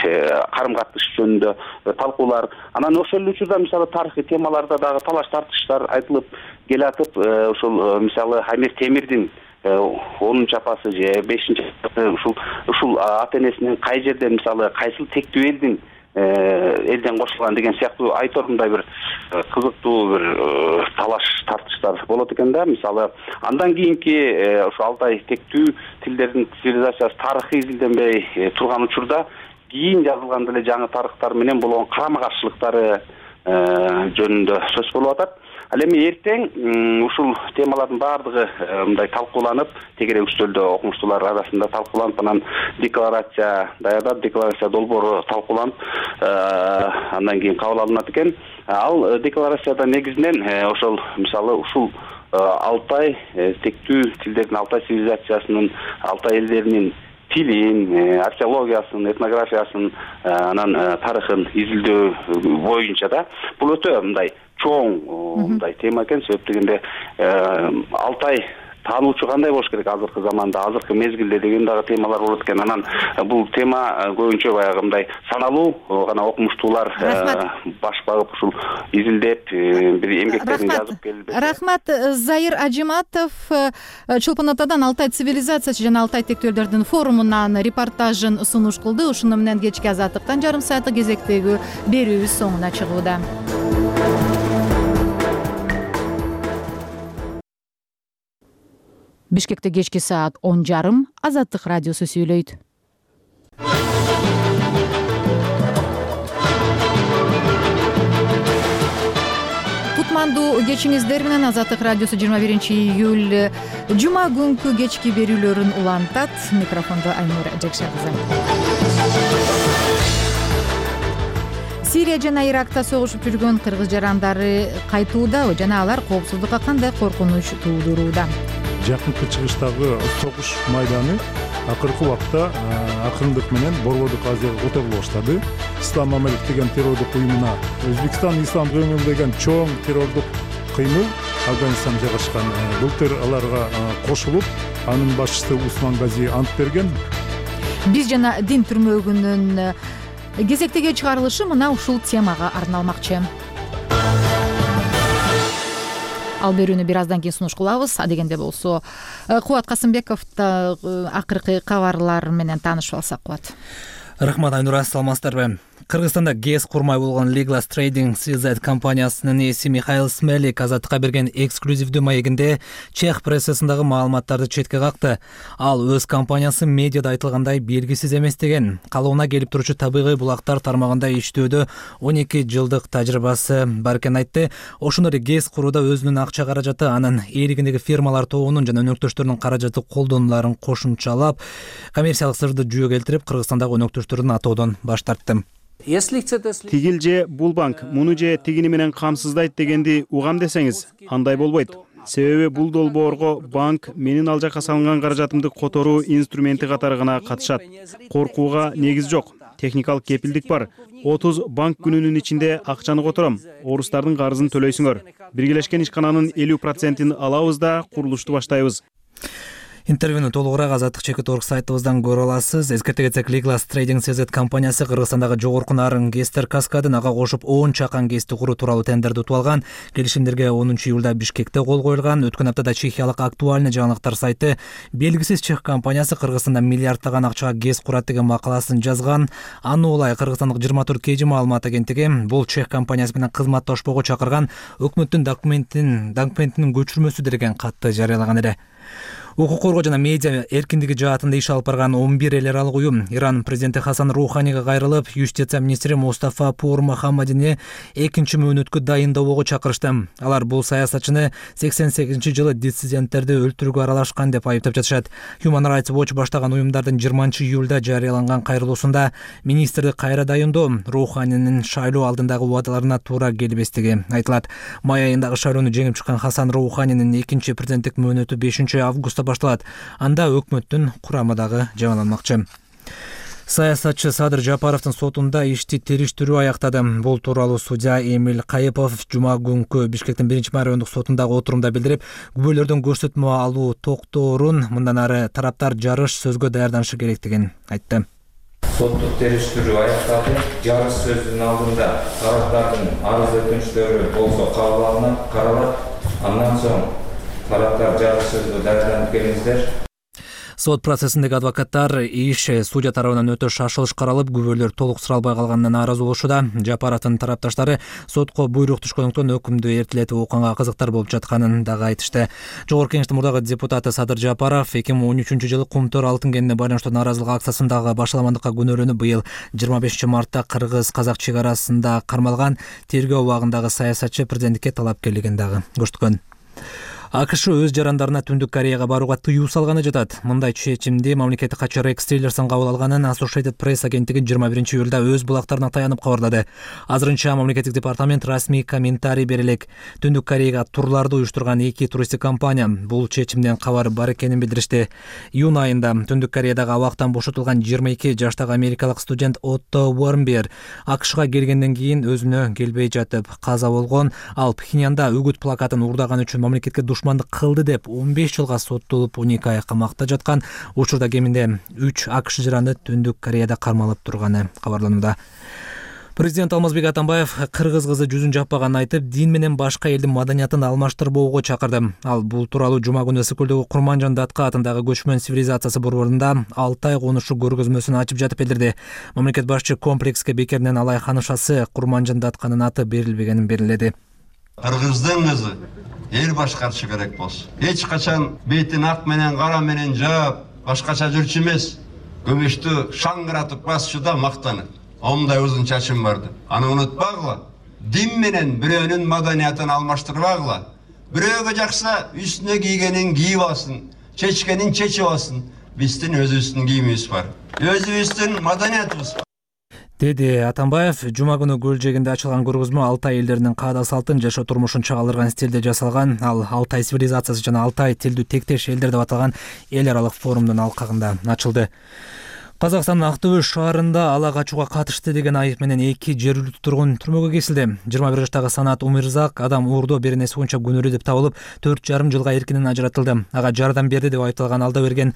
S: карым-катыш жөнүндө талкуулар. Анан ошол эле учурда мисалы тарыхый темаларда дагы талаш тартыштар айтылып келатып, ушул мисалы Амир Темирдин 10-апасы же 5-апасы ушул ата-энесинин кай жерден, мисалы кайсыл тектүү элден кошулган деген сыяктуу айтор мындай бир кызыктуу бир талаш тартыштар болот экен да. Мисалы андан кийинки ушу Алтай тектүү тилдердин цивилизациясы тарыхы изилденбей турган учурда кийин жазылган деле жаңы тарыхтар менен болгон карама каршылыктары жөнүндө сөз болуп атат. Ал эми эртең ушул темалардын баардыгы мындай талкууланып, тегерек үстөлдө окумуштуулар арасында талкууланып, анан декларация даярдап, декларация долбоору талкууланып, андан кийин кабыл алынат экен. Ал декларацияда негизинен ошол мисалы ушул Алтай тектүү тилдердин, Алтай цивилизациясынын, Алтай элдеринин тилин, археологиясын, этнографиясын, анан тарыхын изилдөө боюнча да бул өтө мындай чоң мындай тема экен. Себеп дегенде Алтай таануучу кандай болуш керек азыркы заманда, азыркы мезгилде деген дагы темалар болот экен. Анан бул тема көбүнчө баягы мындай саналуу гана окумуштуулар баш багып ушул изилдеп бир эмгектерин жазып келип.
A: Рахмат. Заир Ажиматов Чолпон Атадан Алтай цивилизациясы жана Алтай тектүүлөрдүн форумунан репортажын сунуш кылды. Ушуну менен кечки азаттыктан жарым сааттык кезектеги берүүбүз соңуна чыгууда. Бишкекте кечки саат 10:30 Азаттык радиосу сүйлөйт. Кутмандуу кечиңиздер менен Азаттык радиосу 21-июль жума күнкү кечки берүүлөрүн улантат. Микрофондо Айнура Жакшакызы. Сирия жана Иракта согушуп жүргөн кыргыз жарандары кайтууда жана алар коопсуздукка кандай коркунуч туудурууда?
T: Жакынкы чыгыштагы согуш майданы акыркы убакта акырындык менен Борбордук Азияга которула баштады. Ислам Мамалик деген террордук уюмуна Өзбекстан Ислам кыймыл деген чоң террордук кыймыл Афганистанда жайгашкан. Былтыр аларга кошулуп, анын башчысы Усман Гази ант берген.
A: Биз жана дин түрмөгүнүн кезектеги чыгарылышы мына ушул темага арналмакчы. Ал берүүнү бир аздан кийин сунуш кылабыз. Адегенде болсо Кубат Касымбеков да акыркы кабарлар менен таанышып алсак. Кубат.
D: Рахмат Айнура, саламатсыздарбы? Кыргызстанда гез курмай болгон Legal Trading CZ компаниясынын ээси Михаил Смелик Азаттыкка берген эксклюзивдүү маегинде чех прессасындагы маалыматтарды четке какты. Ал өз компаниясы медиада айтылгандай белгисиз эмес деген, калыбына келип турчу табигый булактар тармагында иштөөдө 12 жылдык тажрыйбасы бар экенин айтты. Ошондой эле гез курууда өзүнүн акча каражаты, анын ээлигиндеги фирмалар тобунун жана өнөктөштөрүнүн каражаты колдонуларын кошумчалап, коммерциялык сырды жүйө келтирип, Кыргызстандагы өнөктөштөрүн атоодон баш тартты.
E: Тигил же бул банк муну же тигини менен камсыздайт дегенди угам десеңиз, андай болбойт. Себеби бул долбоорго банк менин ал жакка салынган каражатымды которуу инструменти катары гана катышат. Коркууга негиз жок. Техникалык кепилдик бар. 30 банк күнүнүн ичинде акчаны котором. Орустардын карызын төлөйсүңөр. Биргелешкен ишкананын 50%-ин алабыз да курулушту баштайбыз.
D: Интервьюну толугураак Азаттык.org сайтыбыздан көрө аласыз. Эскерте кетсек, Legal Trading CZ компаниясы Кыргызстандагы жогорку нарын гестер каскадын ага кошуп 10 чакан гезди куруу тууралуу тендерди утуп алган. Келишимдерге 10-июлда Бишкекте кол коюлган. Өткөн аптада чехиялык Актуальный жаңылыктар сайты белгисиз чех компаниясы Кыргызстанда миллиарддаган акчага гез курат деген макаласын жазган. Аны улай Кыргызстандык 24 KG маалымат агенттиги бул чех компаниясы менен кызматташпоого чакырган өкмөттүн документинин көчүрмөсү деген катты жарыялаган эле. Укук коргоо жана медиа эркиндиги жаатында иш алып барган 11 эл аралык уюм Иран президенти Хасан Руханига кайрылып, юстиция министри Мустафа Пур Мухаммадини 2-чи мөөнөткө дайындоого чакырышты. Алар бул саясатчыны 88-жылы диссиденттерди өлтүрүүгө аралашкан деп айыптап жатышат. Human Rights Watch баштаган уюмдардын 20-июлда жарыяланган кайрылуусунда министрди кайра дайындоо Руханинин шайлоо алдындагы убадаларына туура келбестиги айтылат. Май айындагы шайлоону жеңип чыккан Хасан Руханинин 2-чи президенттик мөөнөтү 5-августта башталат. Анда өкмөттүн курамы дагы жаңыланмакчы. Саясатчы Садыр Жапаровдун сотунда ишти териштирүү аяктады. Бул тууралуу судья Эмиль Кайыпов жума күнкү Бишкектин 1-чи райондук сотундагы отурумда билдирип, күбөлөрдөн көрсөтмө алуу токтоорун мындан ары тараптар жарыш сөзгө даярданышы керектигин айтты.
U: Соттук териштирүү аякталды. Жарыш сөзүнүн алдында тараптардын арыз өтүнүчтөрү болсо кабыл алынып каралат. Андан соң тараптар жарыш сөзгө даярданып келиңиздер.
D: Сот процессиндеги адвокаттар иш судья тарабынан өтө шашылыш каралып, күбөлөр толук суралбай калганына нааразы болушууда. Жапаровдун тарапташтары сотко буйрук түшкөндүктөн өкүмдү эртелетип укканга кызыктар болуп жатканын дагы айтышты. Жогорку Кеңештин мурдагы депутаты Садыр Жапаров 2013-жылы Кумтөр алтын кенине байланыштуу нааразылык акциясындагы башаламандыкка күнөөлөнүп, быйыл 25-мартта кыргыз-казак чек арасында кармалган тергөө убагындагы саясатчы президенттикке талапкерлигин дагы көрсөткөн. АКШ өз жарандарына Түндүк Кореяга барууга тыюу салганы жатат. Мындай чечимди мамлекеттик катчы Рекс Тиллерсон кабыл алганын Associated Press агенттиги 21-июлда өз булактарына таянып кабарлады. Азырынча мамлекеттик департамент расмий комментарий бере элек. Түндүк Кореяга турларды уюштурган 2 туристтик компания бул чечимден кабар бар экенин билдиришти. Июнь айында Түндүк Кореядагы абактан бошотулган 22 жаштагы америкалык студент Отто Уормбер АКШга келгенден кийин өзүнө келбей жатып каза болгон. Ал Пхеньянда үгүт плакатын уурдаган үчүн мамлекетке душмандык кылды деп 15 жылга соттолуп 12 ай камакта жаткан. Учурда кеминде 3 АКШ жараны Түндүк Кореяда кармалып турганы кабарланууда. Президент Алмазбек Атамбаев кыргыз кызы жүзүн жаппаганын айтып, дин менен башка элдин маданиятын алмаштырбоого чакырды. Ал бул тууралуу жума күнү Ысыккөлдөгү Курманжан Датка атындагы көчмөн цивилизациясы борборунда Алтай конушу көргөзмөсүн ачып жатып билдирди. Мамлекет башчы комплекске бекеринен алай ханышасы Курманжан Датканын аты берилбегенин белгиледи.
B: Кыргыздын кызы эл башкарышы керек болсун. Эч качан бетин ак менен кара менен жаап, башкача жүрчү эмес. Көмөштү шаңгыратып басчуда мактанып. Омдай узун чачым барды. Аны унутпагыла. Дин менен бирөөнүн маданиятын алмаштырбагыла. Бирөөгө жакса үстүнө кийгенин кийип алсын, чечкенин чечип алсын. Биздин өзүбүздүн кийимибиз бар. Өзүбүздүн маданиятыбыз бар.
D: Деди Атамбаев. Жума күнү көл жээгинде ачылган көргөзмө Алтай элдеринин каада салтын, жашоо турмушун чагылдырган стилде жасалган. Ал Алтай цивилизациясы жана Алтай тилдүү тектеш элдер деп аталган эл аралык форумдун алкагында ачылды. Казакстандын Актөбө шаарында ала качууга катышты деген айып менен 2 жергиликтүү тургун түрмөгө кесилди. 21 жаштагы Санат Умирзак адам уурдоо беренеси боюнча күнөөлүү деп табылып, 4,5 жылга эркинен ажыратылды. Ага жардам берди деп айыпталган Алдаберген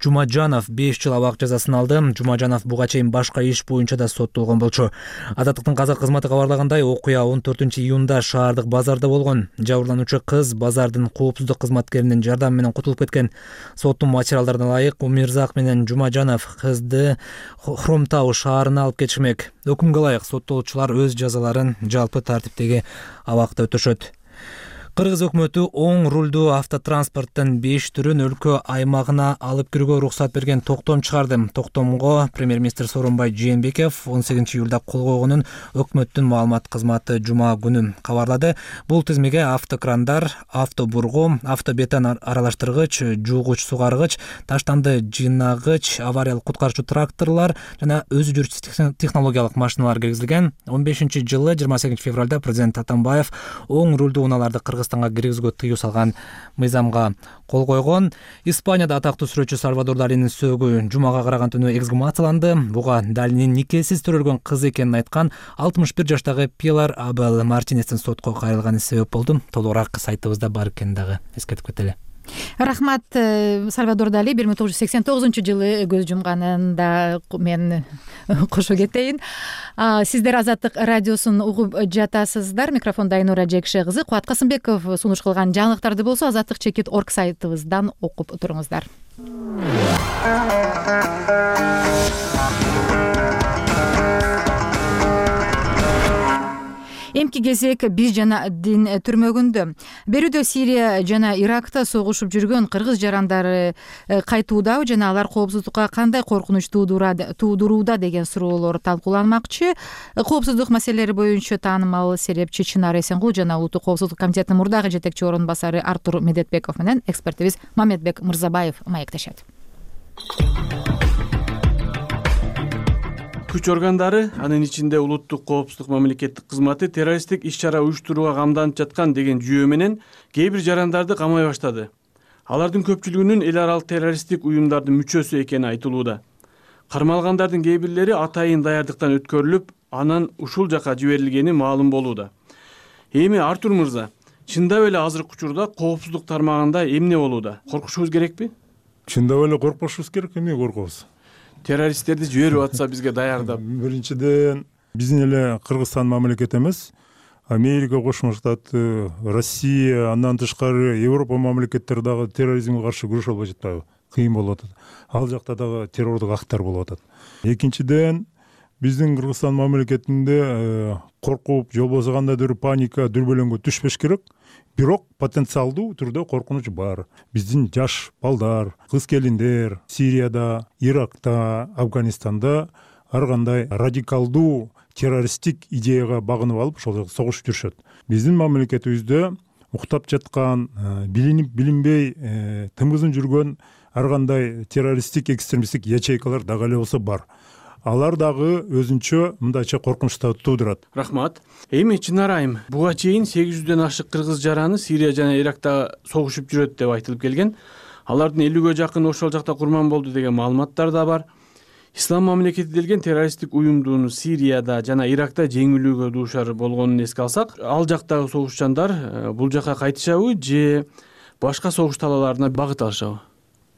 D: Жумажанов 5 жыл абак жазасын алды. Жумажанов буга чейин башка иш боюнча да соттолгон болчу. Азаттыктын казак кызматы кабарлагандай, окуя 14-июнда шаардык базарда болгон. Жабырлануучу кыз базардын коопсуздук кызматкеринин жардамы менен кутулуп кеткен. Соттун материалдарына ылайык Умирзак менен Жумажанов кызды Хромтау шаарына алып кетишмек. Өкүмгө ылайык соттолуучулар өз жазаларын жалпы тартиптеги абакта өтөшөт. Кыргыз өкмөтү оң рулдуу автотранспорттун 5 түрүн өлкө аймагына алып кирүүгө уруксат берген токтом чыгарды. Токтомго премьер-министр Сооронбай Жээнбеков 18-июлда кол койгонун өкмөттүн маалымат кызматы жума күнү кабарлады. Бул тизмеге автокрандар, автобургу, автобетон аралаштыргыч, жуугуч сугаргыч, таштанды жыйнагыч, авариялык куткаруучу тракторлор жана өзү жүрүүчү технологиялык машиналар киргизилген. 15-жылы 28-февралда президент Атамбаев оң рулдуу унааларды Кыргызстанга киргизүүгө тыюу салган мыйзамга кол койгон. Испанияда атактуу сүрөтчү Сальвадор Далинин сөөгү жумага караган түнү эксгумацияланды. Буга Далинин никесиз төрөлгөн кызы экенин айткан 61 жаштагы Пилар Абел Мартинестин сотко кайрылганы себеп болду. Толугураак сайтыбызда бар экенин дагы эскертип кетели.
A: Рахмат. Сальвадор Дали 1989-жылы көз жумганында мен кошо кетейин. Сиздер Азаттык радиосун угуп жатасыздар. Микрофонда Айнура Жекше кызы. Кубат Касымбеков сунуш кылган жаңылыктарды болсо azattik.org сайтыбыздан окуп туруңуздар. Эмки кезек биз жана дин түрмөгүндө. Берүүдө Сирия жана Иракта согушуп жүргөн кыргыз жарандары кайтууда жана алар коопсуздукка кандай коркунуч туудурууда деген суроолор талкууланмакчы. Коопсуздук маселелери боюнча таанымал серепчи Чынар Эсенгул жана Улуттук коопсуздук комитетинин мурдагы жетекчи орун басары Артур Медетбеков менен экспертибиз Мамедбек Мырзабаев маектешет.
V: Күч органдары, анын ичинде улуттук коопсуздук мамлекеттик кызматы террористтик иш-чара уюштурууга камданып жаткан деген жүйө менен кээ бир жарандарды камай баштады. Алардын көпчүлүгүнүн эл аралык террористтик уюмдардын мүчөсү экени айтылууда. Кармалгандардын кээ бирлери атайын даярдыктан өткөрүлүп, анан ушул жака жиберилгени маалым болууда. Эми Артур мырза, чындап эле азыркы учурда коопсуздук тармагында эмне болууда? Коркушубуз керекпи?
T: Чындап эле коркпошубуз керек, эмне коркобуз?
V: Террористтерди жиберип атса бизге даярдап.
T: Биринчиден биздин эле Кыргызстан мамлекет эмес, Америка Кошмо Штаты, Россия, андан тышкары Европа мамлекеттери дагы терроризмге каршы күрөшө албай жатпайбы? кыйын болуп атат. Ал жакта дагы террордук актар болуп атат. Экинчиден, биздин Кыргызстан мамлекетинде коркуп, же болбосо кандайдыр бир паника, дүрбөлөңгө түшпөш керек. Бирок потенциалдуу түрдө коркунуч бар. Биздин жаш балдар, кыз-келиндер Сирияда, Иракта, Афганистанда ар кандай радикалдуу террористтик идеяга багынып алып, ошол жакта согушуп жүрүшөт. Биздин мамлекетибизде уктап жаткан, билинип билинбей тымызын жүргөн ар кандай террористтик, экстремисттик ячейкалар дагы эле болсо бар. Алар дагы өзүнчө мындайча коркунучтарды туудурат.
V: Рахмат. Эми Чынар айым, буга чейин 800дөн ашык кыргыз жараны Сирия жана Иракта согушуп жүрөт деп айтылып келген. Алардын 50ге жакын ошол жакта курман болду деген маалыматтар да бар. Ислам мамлекети делген террористтик уюмдун Сирияда жана Иракта жеңилүүгө дуушар болгонун эске алсак, ал жактагы согушчандар бул жака кайтышабы же башка согуш талааларына багыт алышабы?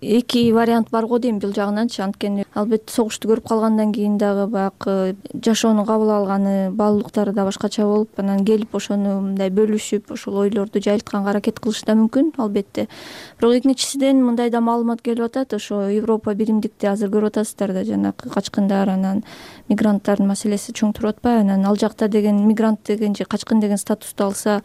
P: Эки вариант бар го дейм бул жагынанчы. Анткени албетте согушту көрүп калгандан кийин дагы баягы жашоону кабыл алганы, баалуулуктары да башкача болуп, анан келип ошону мындай бөлүшүп, ошол ойлорду жайылтканга аракет кылышы да мүмкүн, албетте. Бирок экинчисинен мындай да маалымат келип атат, ошо Европа биримдикти азыр көрүп атасыздар да, жанагы качкындар, анан мигранттардын маселеси чоң туруп атпайбы? Анан ал жакта деген мигрант деген же качкын деген статусту алса,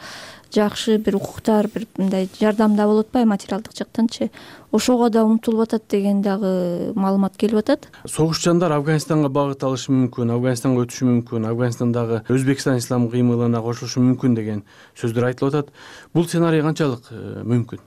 P: жакшы бир укуктар, бир мындай жардам да болуп атпайбы материалдык жактанчы? Ошого да умтулуп атат деген дагы маалымат келип атат.
V: Согушчандар Афганистанга багыт алышы мүмкүн, Афганистанга өтүшү мүмкүн, Афганистандагы Өзбекстан ислам кыймылына кошулушу мүмкүн деген сөздөр айтылып атат. Бул сценарий канчалык мүмкүн?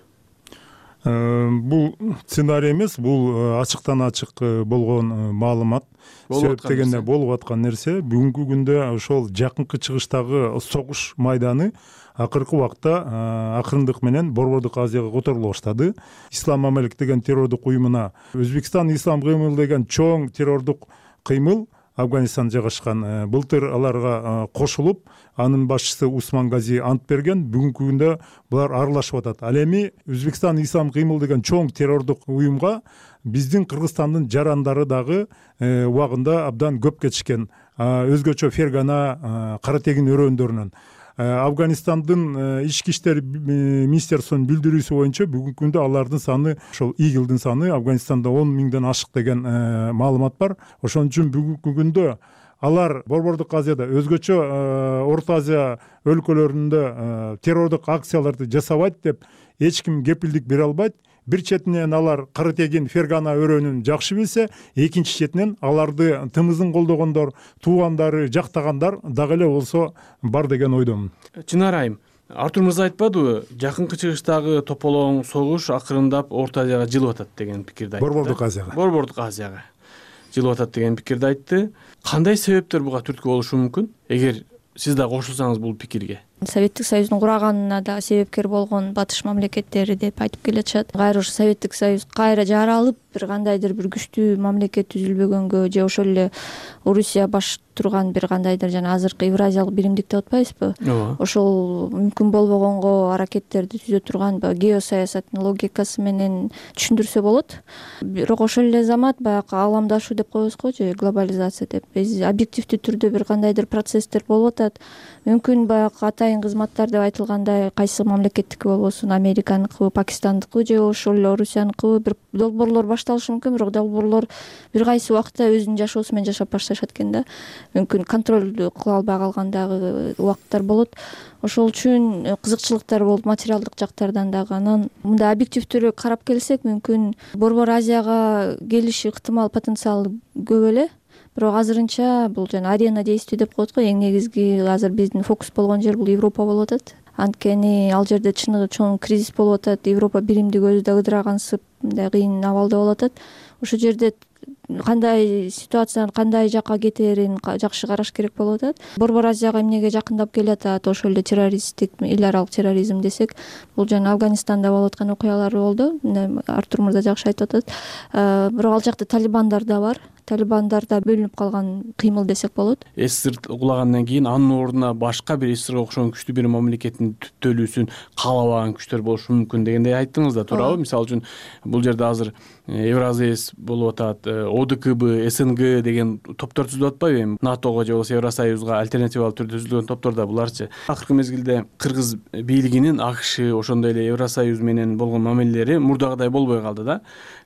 T: Бул сценарий эмес, бул ачыктан ачык болгон маалымат. Себеп дегенде болуп аткан нерсе, бүгүнкү күндө ошол жакынкы чыгыштагы согуш майданы акыркы убакта акырындык менен Борбордук Азияга которула баштады. Ислам мамлекети деген террордук уюмуна Өзбекстан ислам кыймылы деген чоң террордук кыймыл Афганистанда жайгашкан. Былтыр аларга кошулуп, анын башчысы Усман Гази ант берген. Бүгүнкү күндө булар аралашып атат. Ал эми Өзбекстан ислам кыймыл деген чоң террордук уюмга биздин Кыргызстандын жарандары дагы убагында абдан көп кетишкен. Өзгөчө Фергана, Каратегин өрөөндөрүнөн. Афганистандын ички иштер министерствосунун билдирүүсү боюнча бүгүнкү күндө алардын саны, ошол ИГИЛдин саны Афганистанда 10 миңден ашык деген маалымат бар. Ошон үчүн бүгүнкү күндө алар Борбордук Азияда, өзгөчө Орто Азия өлкөлөрүндө террордук акцияларды жасабайт деп эч ким кепилдик бере албайт. Бир четинен алар Каратегин, Фергана өрөөнүн жакшы билсе, экинчи четинен аларды тымызын колдогондор, туугандары, жактагандар дагы эле болсо бар деген ойдомун.
V: Чынар айым, Артур мырза айтпадыбы, жакынкы чыгыштагы тополоң согуш акырындап Орто Азияга жылып атат деген пикирди айтты. Борбордук Азияга жылып атат деген пикирди айтты. Кандай себептер буга түрткү болушу мүмкүн? Эгер сиз да кошулсаңыз бул пикирге.
P: Советтик Союздун кураганына да себепкер болгон батыш мамлекеттери деп айтып келатышат. Кайра ушу Советтик Союз кайра жаралып, бир кандайдыр бир күчтүү мамлекет түзүлбөгөнгө же ошол эле Орусия баш турган бир кандайдыр жана азыркы Евразиялык биримдик деп атпайбызбы? Ошол мүмкүн болбогонго аракеттерди түзө турган геосаясаттын логикасы менен түшүндүрсө болот. Бирок ошол эле замат баягы ааламдашуу деп коебуз го же глобализация деп. Объективдүү түрдө бир кандайдыр процесстер болуп атат. Мүмкүн баягы атайын кызматтар деп айтылгандай кайсы мамлекеттики болбосун, Американыкыбы, Пакистандыкыбы же ошол эле Орусияныкыбы бир долбоорлор башталышы мүмкүн, бирок долбоорлор бир кайсы убакта өзүнүн жашоосу менен жашап башташат экен да. Мүмкүн контроль кыла албай калгандагы убакыттар болот. Ошол үчүн кызыкчылыктар болуп, материалдык жактардан дагы. Анан мындай объективдүү карап келсек, мүмкүн Борбор Азияга келиши ыктымал потенциалы көп эле. Бирок азырынча бул жана арена действий деп коет го, эң негизги азыр биздин фокус болгон жер бул Европа болуп атат. Анткени ал жерде чыныгы чоң кризис болуп атат. Европа биримдиги өзү да ыдырагансып, мындай кыйын абалда болуп атат. Ошол жерде кандай ситуациянын кандай жакка кетерин жакшы караш керек болуп атат. Борбор Азияга эмнеге жакындап келатат, ошол эле террористтик, эл аралык терроризм десек, бул жана Афганистанда болуп аткан окуялар болду. Артур мырза жакшы айтып атат. Бирок ал жакта талибандар да бар. талибандарда бөлүнүп калган кыймыл десек болот.
V: СССР кулагандан кийин анын ордуна башка бир СССРга окшогон күчтүү бир мамлекеттин түптөлүүсүн каалабаган күчтөр болушу мүмкүн дегендей айттыңыз да, туурабы? Мисалы үчүн бул жерде азыр Евразэс болуп атат, ОДКБ, СНГ деген топтор түзүлүп атпайбы? Эми НАТОго же болбосо Евросоюзга альтернативалуу түрдө түзүлгөн топтор да буларчы. Акыркы мезгилде кыргыз бийлигинин АКШ ошондой эле Евросоюз менен болгон мамилелери мурдагыдай болбой калды да.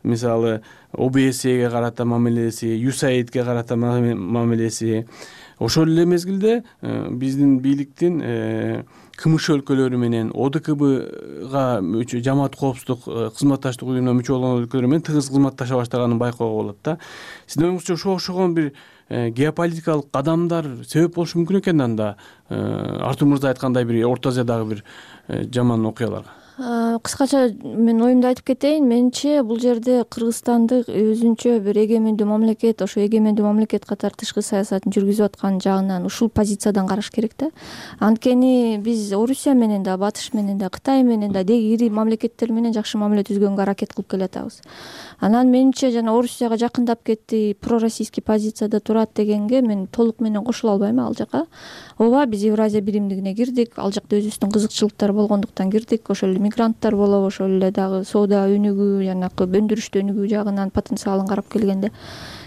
V: Мисалы ОБСЕге карата мамилеси, USAIDге карата мамилеси. Ошол эле мезгилде биздин бийликтин КМШ өлкөлөрү менен ОДКБга жамаат коопсуздук кызматташтык уюмуна мүчө болгон өлкөлөр менен тыгыз кызматташа баштаганын байкоого болот да. Сиздин оюңузча ошого окшогон бир геополитикалык кадамдар себеп болушу мүмкүн экен анда Артур мырза айткандай бир Орто Азиядагы бир жаман окуяларга?
P: Кыскача мен оюмду айтып кетейин. Менимче бул жерде Кыргызстанды өзүнчө бир эгемендүү мамлекет, ошо эгемендүү мамлекет катары тышкы саясатын жүргүзүп аткан жагынан ушул позициядан караш керек да. Анткени биз Орусия менен да, Батыш менен да, Кытай менен да деги ири мамлекеттер менен жакшы мамиле түзгөнгө аракет кылып келатабыз. Анан менимче жана Орусияга жакындап кетти, пророссийский позицияда турат дегенге мен толук менен кошула албайм ал жака. Ооба, биз Евразия биримдигине кирдик, ал жакта өзүбүздүн кызыкчылыктар болгондуктан кирдик. Ошол эле мигранттар болобу, ошол эле дагы соода өнүгүү, жанакы өндүрүштү өнүгүү жагынан потенциалын карап келгенде.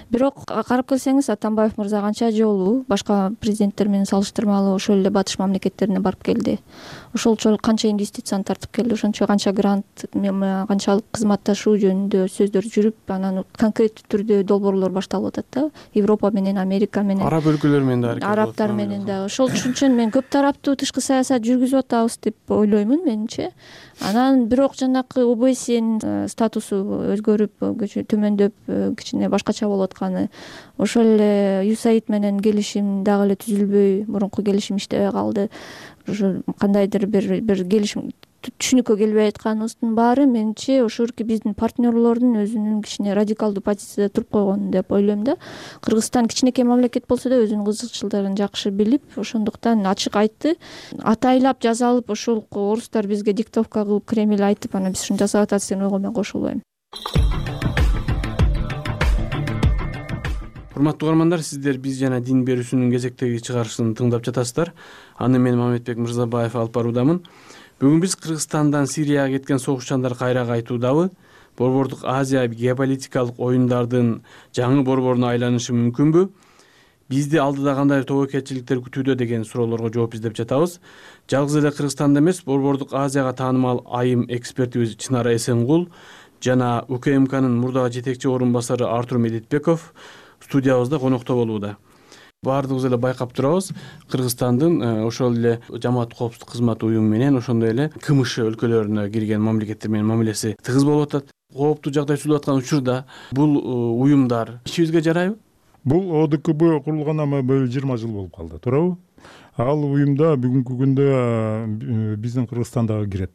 P: Бирок карап келсеңиз, Атамбаев мырза канча жолу башка президенттер менен салыштырмалуу ошол эле батыш мамлекеттерине барып келди. Ошолчо канча инвестицияны тартып келди, ошончо канча грант, канчалык кызматташуу жөнүндө сөздөр жүрүп, анан конкреттүү түрдө долбоорлор башталып атат да. Европа менен, Америка менен,
V: араб өлкөлөр менен да,
P: арабтар менен да. Ошол үчүн мен көп тараптуу тышкы саясат жүргүзүп атабыз деп ойлоймун менимче. Анан бирок жанакы ОБСЕнин статусу өзгөрүп, төмөндөп, кичине башкача болуп атканы, ошол эле USAID менен келишим дагы эле түзүлбөй, мурунку келишим иштебей калды. Ошо кандайдыр бир келишим түшүнүккө келбей атканыбыздын баары менимче ошурки биздин партнерлордун өзүнүн кичине радикалдуу позицияда туруп койгону деп ойлойм да. Кыргызстан кичинекей мамлекет болсо да өзүнүн кызыкчылыктарын жакшы билип, ошондуктан ачык айтты. Атайлап жазалып, ошол орустар бизге диктовка кылып Кремль айтып, анан биз ушуну жасап атат деген ойго мен кошулбайм.
V: Урматтуу угармандар, сиздер биз жана дин берүүсүнүн кезектеги чыгарылышын тыңдап жатасыздар. Аны мен Мамедбек Мырзабаев алып баруудамын. Бүгүн биз Кыргызстандан Сирияга кеткен согушчандар кайра кайтуудабы? Борбордук Азия геополитикалык оюндардын жаңы борборуна айланышы мүмкүнбү? Бизди алдыда кандай тобокелчиликтер күтүүдө деген суроолорго жооп издеп жатабыз. Жалгыз эле Кыргызстанда эмес, Борбордук Азияга таанымал айым экспертибиз Чынара Эсенгул жана УКМКнын мурдагы жетекчи орун басары Артур Медетбеков студиябызда конокто болууда. Баардыгыбыз эле байкап турабыз, Кыргызстандын ошол эле жамаат коопсуздук кызматы уюму менен, ошондой эле КМШ өлкөлөрүнө кирген мамлекеттер менен мамилеси тыгыз болуп атат. Кооптуу жагдай түзүлүп аткан учурда бул уюмдар ишибизге жарайбы?
T: Бул ОДКБ курулган ама 20 жыл болуп калды, туурабы? Ал уюмда бүгүнкү күндө биздин Кыргызстан дагы кирет.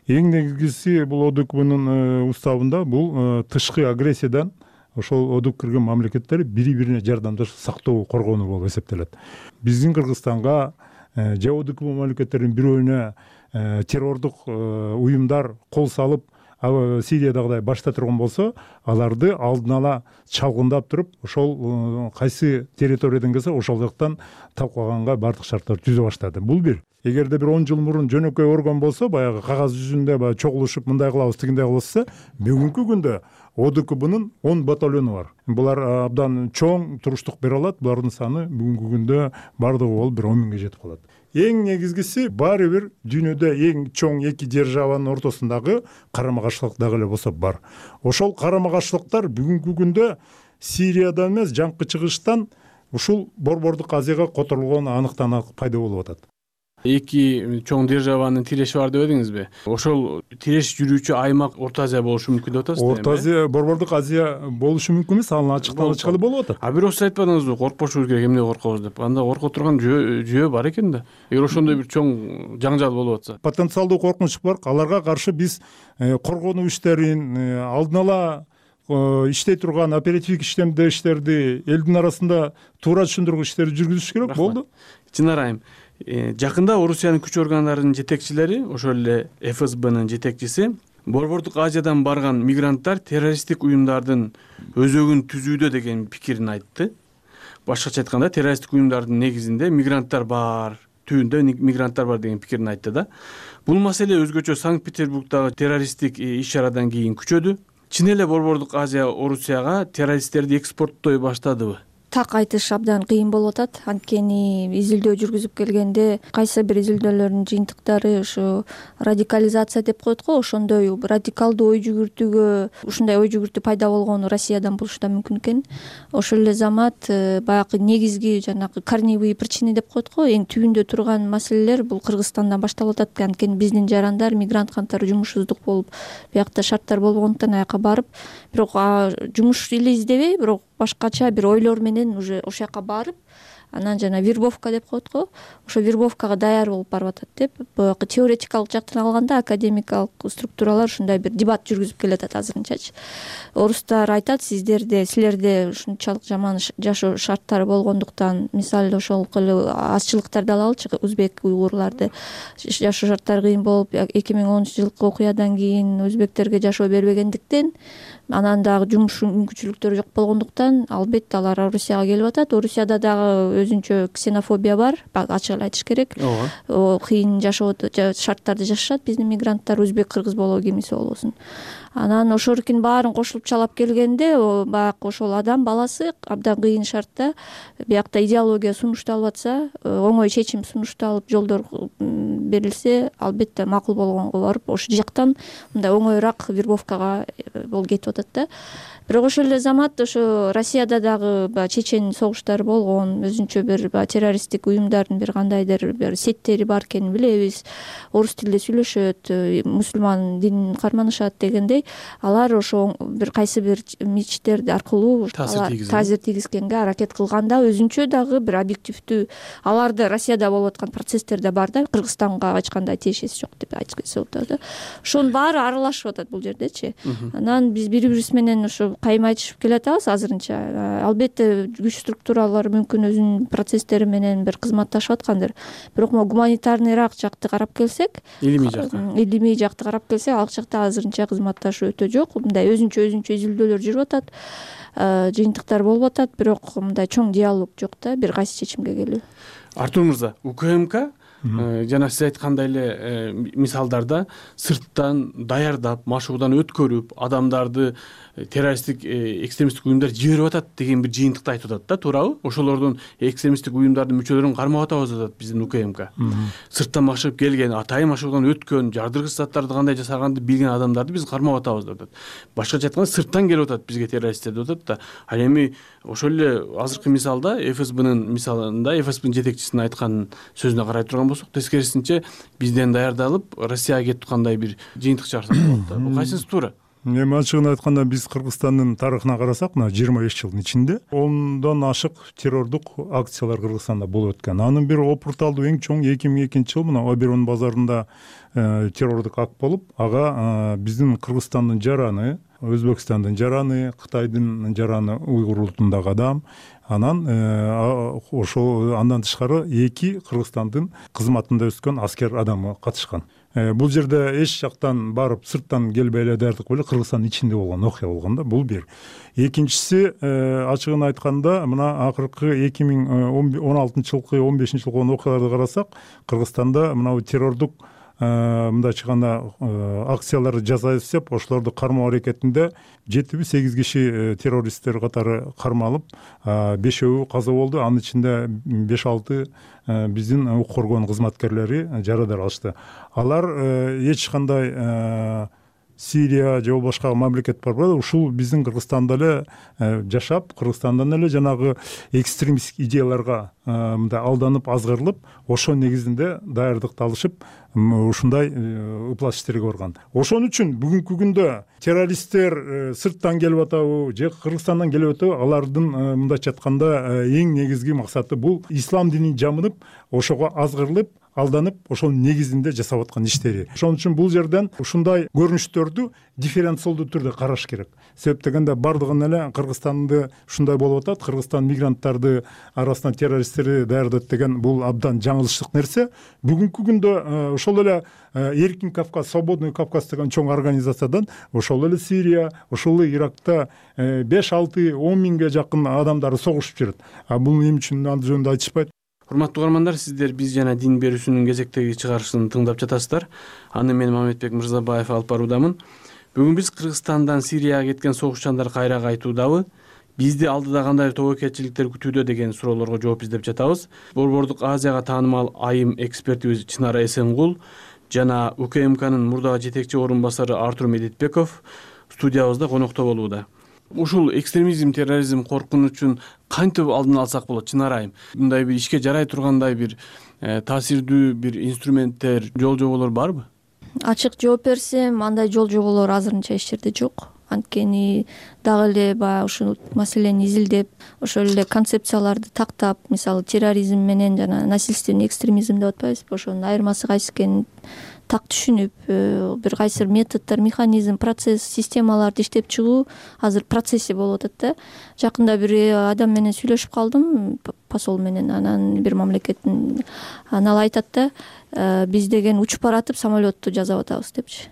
T: Эң негизгиси бул ОДКБнын уставында бул тышкы агрессиядан ошол одук кирген мамлекеттер бири-бирине жардамдашып сактоо, коргонуу болуп эсептелет. Биздин Кыргызстанга же одук мамлекеттердин бирөөүнө террордук уюмдар кол салып, Сириядагыдай башта турган болсо, аларды алдын ала чалгындап туруп, ошол кайсы территориядан келсе, ошол жактан талкаганга бардык шарттар түзө баштады. Бул бир. Эгерде бир 10 жыл мурун жөнөкөй орган болсо, баягы кагаз жүзүндө баягы чогулушуп мындай кылабыз, тигиндей кылабыз десе, бүгүнкү күндө ОДКБнын 10 батальону бар. Булар абдан чоң туруштук бере алат. Булардын саны бүгүнкү күндө бардыгы болуп 1 10 миңге жетип калат. Эң негизгиси баары бир дүйнөдө эң чоң эки державанын ортосундагы карама-каршылык дагы эле болсо бар. Ошол карама-каршылыктар бүгүнкү күндө Сириядан эмес, жаңкы чыгыштан ушул Борбордук Азияга которулган аныктан-анык пайда болуп атат.
V: Эки чоң державанын тиреши бар деп эдиңизби? Ошол тиреш жүрүүчү аймак Орто Азия болушу мүмкүн деп атасызбы?
T: Орто Азия, Борбордук Азия болушу мүмкүн эмес, анын ачыктан ачык эле болуп атат.
V: Бирок сиз айтпадыңызбы, коркпошубуз керек, эмне коркобуз деп? Анда корко турган жөө бар экен да. Эгер ошондой бир чоң жаңжал болуп атса.
T: Потенциалдуу коркунуч бар. Аларга каршы биз коргонуу иштерин, алдын ала иштей турган оперативдик иштерди элдин арасында туура түшүндүргүч иштерди жүргүзүш керек болду.
V: Чынар айым, жакында Орусиянын күч органдарынын жетекчилери, ошол эле ФСБнын жетекчиси Борбордук Азиядан барган мигранттар террористтик уюмдардын өзөгүн түзүүдө деген пикирин айтты. Башкача айтканда террористтик уюмдардын негизинде мигранттар бар, түбүндө мигранттар бар деген пикирин айтты да. Бул маселе өзгөчө Санкт-Петербургдагы террористтик иш-чарадан кийин күчөдү. Чын эле Борбордук Азия Орусияга террористтерди экспорттой баштадыбы?
P: Так айтыш абдан кыйын болуп атат. Анткени изилдөө жүргүзүп келгенде кайсы бир изилдөөлөрдүн жыйынтыктары ушу радикализация деп коет го, ошондой радикалдуу ой жүгүртүүгө ушундай ой жүгүртүү пайда болгону Россиядан болушу да мүмкүн экен. Ошол эле замат баягы негизги жанагы корневые причины деп коет го, эң түбүндө турган маселелер бул Кыргызстандан башталып атат. Анткени биздин жарандар, мигрант кантары жумушсуздук болуп, биякта шарттар болбогондуктан аяка барып, бирок жумуш эле издебей, бирок башкача бир ойлор менен уже ошол жака барып, анан жана вербовка деп коет го, ошо вербовкага даяр болуп барып атат деп, баягы теоретикалык жактан алганда академикалык структуралар ушундай бир дебат жүргүзүп келатат азырынчачы. Орустар айтат, силерде ушунчалык жаман жашоо шарттары болгондуктан, мисалы ошол эле азчылыктарды алалычы, өзбек уйгурларды жашоо шарттары кыйын болуп, 2010-жылкы окуядан кийин өзбектерге жашоо бербегендиктен, анан дагы жумуш мүмкүнчүлүктөрү жок болгондуктан, албетте алар Орусияга келип атат. Орусияда дагы өзүнчө ксенофобия бар, ачык эле айтыш керек. Кыйын жашоо шарттарды жашашат биздин мигранттар, өзбек, кыргыз болобу, кимиси болбосун. Анан ошолордун баарын кошулуп чалап келгенде, баягы ошол адам баласы абдан кыйын шартта, биякта идеология сунушталып атса, оңой чечим сунушталып, жолдор берилсе, албетте макул болгонго барып, ошол жактан мындай оңоюраак вербовкага кетип атат да. Бирок ошол эле замат ошо Россияда дагы чечен согуштары болгон, өзүнчө бир террористтик уюмдардын бир кандайдыр бир сеттери бар экенин билебиз. Орус тилинде сүйлөшөт, мусулман динин карманышат дегендей, алар ошо бир кайсы бир мечиттерди аркылуу таасир тийгизгенге аракет кылганда, өзүнчө дагы бир объективдүү, аларда Россияда болуп аткан процесстер да бар да, Кыргызстанга эч кандай тиешеси жок деп айтса болот да. Ошонун баары аралашып атат бул жердечи. Анан биз бири-бирибиз менен ошо кайым айтышып келатабыз азырынча. Албетте күч структуралары мүмкүн өзүнүн процесстери менен бир кызматташып аткандыр. Бирок гуманитарныйраак жакты карап келсек, илимий жакты карап келсек, ал жакта азырынча кызматташуу өтө жок. Мындай өзүнчө изилдөөлөр жүрүп атат, жыйынтыктар болуп атат, бирок мындай чоң диалог жок да, бир кайсы чечимге келүү.
V: Артур мырза, УКМК жана сиз айткандай эле мисалдарда сырттан даярдап, машыгуудан өткөрүп, адамдарды террористтик экстремисттик уюмдар жиберип атат деген бир жыйынтыкты айтып атат да, туурабы? Ошолордун экстремисттик уюмдардын мүчөлөрүн кармап атабыз деп атат биздин УКМК. Сырттан машыгып келген, атайын машыгуудан өткөн, жардыргыч заттарды кандай жасаганды билген адамдарды биз кармап атабыз деп атат. Башкача айтканда сырттан келип атат бизге террористтер деп атат да. Ал эми ошол эле азыркы мисалда ФСБнын мисалында ФСБнын жетекчисинин айткан сөзүнө карай турган болсок, тескерисинче бизден даярдалып Россияга кетип кандай бир жыйынтык чыгарса болот да. Бул кайсынысы туура?
T: Эми ачыгын айтканда биз Кыргызстандын тарыхына карасак, мына 25 жылдын ичинде 10дон ашык террордук акциялар Кыргызстанда болуп өткөн. Анын бир опурталдуу эң чоң 2002-жылы мына Оберон базарында террордук акт болуп, ага биздин Кыргызстандын жараны, Өзбекстандын жараны, Кытайдын жараны, уйгур улутундагы адам, анан ошол андан тышкары 2 Кыргызстандын кызматында өскөн аскер адамы катышкан. Бул жерде эч жактан барып сырттан келбей эле даярдык эле Кыргызстандын ичинде болгон окуя болгон да, бул бир. Экинчиси, ачыгын айтканда, мына акыркы 2016-жылкы 15-жылкы болгон окуяларды карасак, Кыргызстанда мына террордук мындай чыганда акцияларды жасайбыз деп, ошолорду кармоо аракетинде 7-8 киши террористтер катары кармалып, 5-өө каза болду. Анын ичинде 5-6 биздин укук коргоон кызматкерлери жарадар алышты. Алар эч кандай Сирия же башка мамлекет бар, ушул биздин Кыргызстанда эле жашап, Кыргызстандан эле жанагы экстремисттик идеяларга мындай алданып, азгырылып, ошо негизинде даярдыкты алышып, ушундай ыплас иштерге барган. Ошон үчүн бүгүнкү күндө террористтер сырттан келип атабы же Кыргызстандан келип атабы, алардын мындайча айтканда эң негизги максаты бул ислам динин жамынып, ошого азгырылып, алданып ошонун негизинде жасап аткан иштери. Ошон үчүн бул жерден ушундай көрүнүштөрдү дифференциалдуу түрдө караш керек. Себеп дегенде бардыгын эле Кыргызстанды ушундай болуп атат, Кыргызстан мигранттарды арасынан террористтерди даярдайт деген бул абдан жаңылыштык нерсе. Бүгүнкү күндө ошол эле Эркин Кавказ, Свободный Кавказ деген чоң организациядан ошол эле Сирия, ошол эле Иракта 5-6-10 миңге жакын адамдар согушуп жүрөт. Бул эмне үчүн ал жөнүндө айтышпайт.
V: Урматтуу угармандар, сиздер биз жана дин берүүсүнүн кезектеги чыгарылышын тыңдап жатасыздар. Аны мен Мамедбек Мырзабаев алып баруудамын. Бүгүн биз Кыргызстандан Сирияга кеткен согушчандар кайра кайтуудабы, бизди алдыда кандай тобокелчиликтер күтүүдө деген суроолорго жооп издеп жатабыз. Борбордук Азияга таанымал айым экспертибиз Чынара Эсенгул жана УКМКнын мурдагы жетекчи орун басары Артур Медетбеков студиябызда конокто болууда. Ушул экстремизм, терроризм коркунучун кантип алдын алсак болот, Чынара айым? Мындай бир ишке жарай тургандай бир таасирдүү бир инструменттер, жол-жоболор барбы?
F: Ачык жооп берсем, андай жол-жоболор азырынча эч жерде жок. Анткени дагы эле баягы ушул маселени изилдеп, ошол эле концепцияларды тактап, мисалы терроризм менен жана насильственный экстремизм деп атпайбызбы, ошонун айырмасы кайсы экенин так түшүнүп, бир кайсы методдор, механизм, процесс, системаларды иштеп чыгуу азыр процесси болуп атат да. Жакында бир адам менен сүйлөшүп калдым, посол менен, анан бир мамлекеттин, ал айтат да, биз деген учуп баратып самолетту жасап атабыз депчи.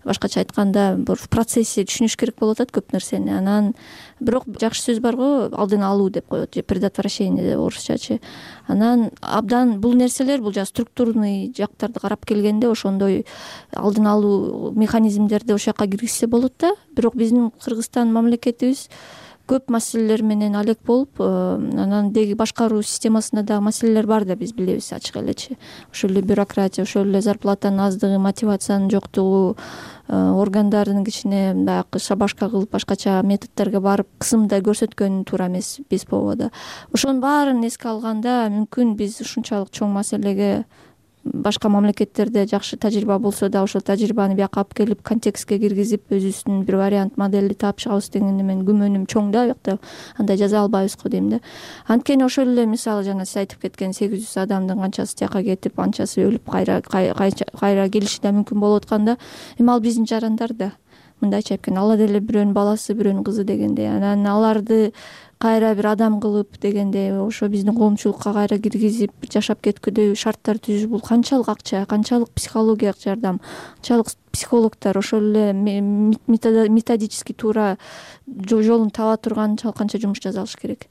F: Башкача айтканда, бир процесси түшүнүш керек болуп атат көп нерсени. Анан бирок жакшы сөз бар го, алдын алуу деп коет, же предотвращение деп орусчачы. Анан абдан бул нерселер, бул структурный жактарды карап келгенде ошондой алдын алуу механизмдерди ошол жака киргизсе болот да. Бирок биздин Кыргызстан мамлекетибиз көп маселелер менен алек болуп, анан деги башкаруу системасында дагы маселелер бар да, биз билебиз ачык элечи. Ошол эле бюрократия, ошол эле зарплатанын аздыгы, мотивациянын жоктугу, органдардын кичине баягы шабашка кылып башкача методдорго барып кысымда көрсөткөн туура эмес биз ПОда. Ошонун баарын эске алганда мүмкүн биз ушунчалык чоң маселеге башка мамлекеттерде жакшы тажрыйба болсо да ошол тажрыйбаны бияка алып келип контекстке киргизип өзүбүздүн бир вариант моделди таап чыгабыз деген менин күмөнүм чоң да. Биякта андай жаза албайбызго дейм да. Анткени ошол эле мисалы жана сиз айтып кеткен 800 адамдын канчасы тияка кетип, анчасы өлүп кайра келиши да мүмкүн болуп атканда, эми ал биздин жарандар да. Мындайча айтканда, алла деле бирөөнүн баласы, бирөөнүн кызы дегендей. Анан аларды кайра бир адам кылып дегенде ошо биздин коомчулукка кайра киргизип жашап кеткүдөй шарттар түзүү, бул канчалык акча, канчалык психологиялык жардам, канчалык психологдор ошол эле методически туура жолун таба турган канча жумуш жасалыш керек.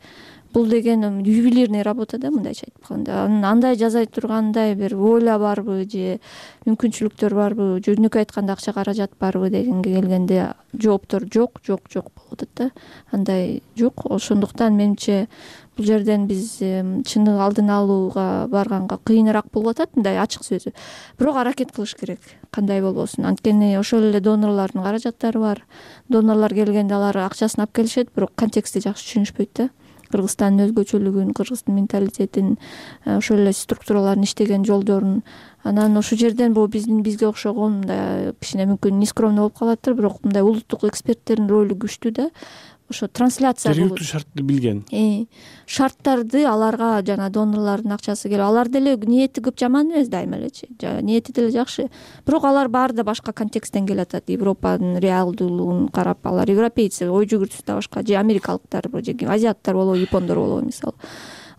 F: Бул деген ювелирный работа да, мындайча айтып атканда. Андай жасай тургандай бир воля барбы же мүмкүнчүлүктөр барбы, жөнөкөй айтканда акча каражат барбы дегенге келгенде жооптор жок болуп атат да. Андай жок. Ошондуктан менимче бул жерден биз чындык алдын алууга барганга кыйыныраак болуп атат, мындай ачык сөзү. Бирок аракет кылыш керек, кандай болбосун. Анткени ошол эле донорлордун каражаттары бар. Донорлор келгенде алар акчасын алып келишет, бирок контекстти жакшы түшүнүшпөйт да. Кыргызстандын өзгөчөлүгүн, кыргыздын менталитетин, ошол эле структуралардын иштеген жолдорун. Анан ошол жерден бул бизге окшогон мындай кичине мүмкүн нескромный болуп калаттыр, бирок мындай улуттук эксперттердин ролу күчтүү да. Ошо трансляция
V: жергиликтүү шартты билген.
F: Шарттарды аларга жана донорлордун акчасы келип, алар деле ниети көп жаман эмес дайыма элечи. Ниети деле жакшы. Бирок алар баары да башка контексттен келип атат. Европанын реалдуулугун карап, алар европейцы, ой жүгүртүүсү да башка, же америкалыктар, же азиаттар болобу, япондор болобу мисалы.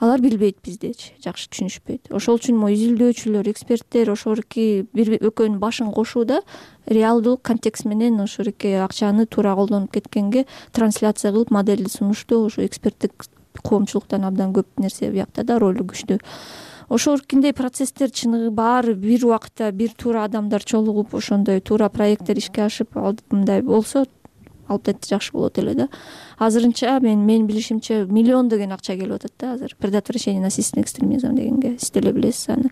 F: Алар билбейт биздечи, жакшы түшүнүшпөйт. Ошол үчүн изилдөөчүлөр, эксперттер ошолки бир экөөнүн башын кошууда реалдуулук контекст менен ошолки акчаны туура колдонуп кеткенге трансляция кылып модельди сунуштоо, ошо эксперттик коомчулуктан абдан көп нерсе биякта да ролу күчтүү. Ошолкиндей процесстер чыныгы баары бир убакытта бир туура адамдар чолугуп, ошондой туура проекттер ишке ашып, мындай болсо албетте жакшы болот эле да. Азырынча мен билишимче миллиондогон акча келип атат да азыр. Предотвращение насильственного экстремизма дегенге сиз деле билесиз аны.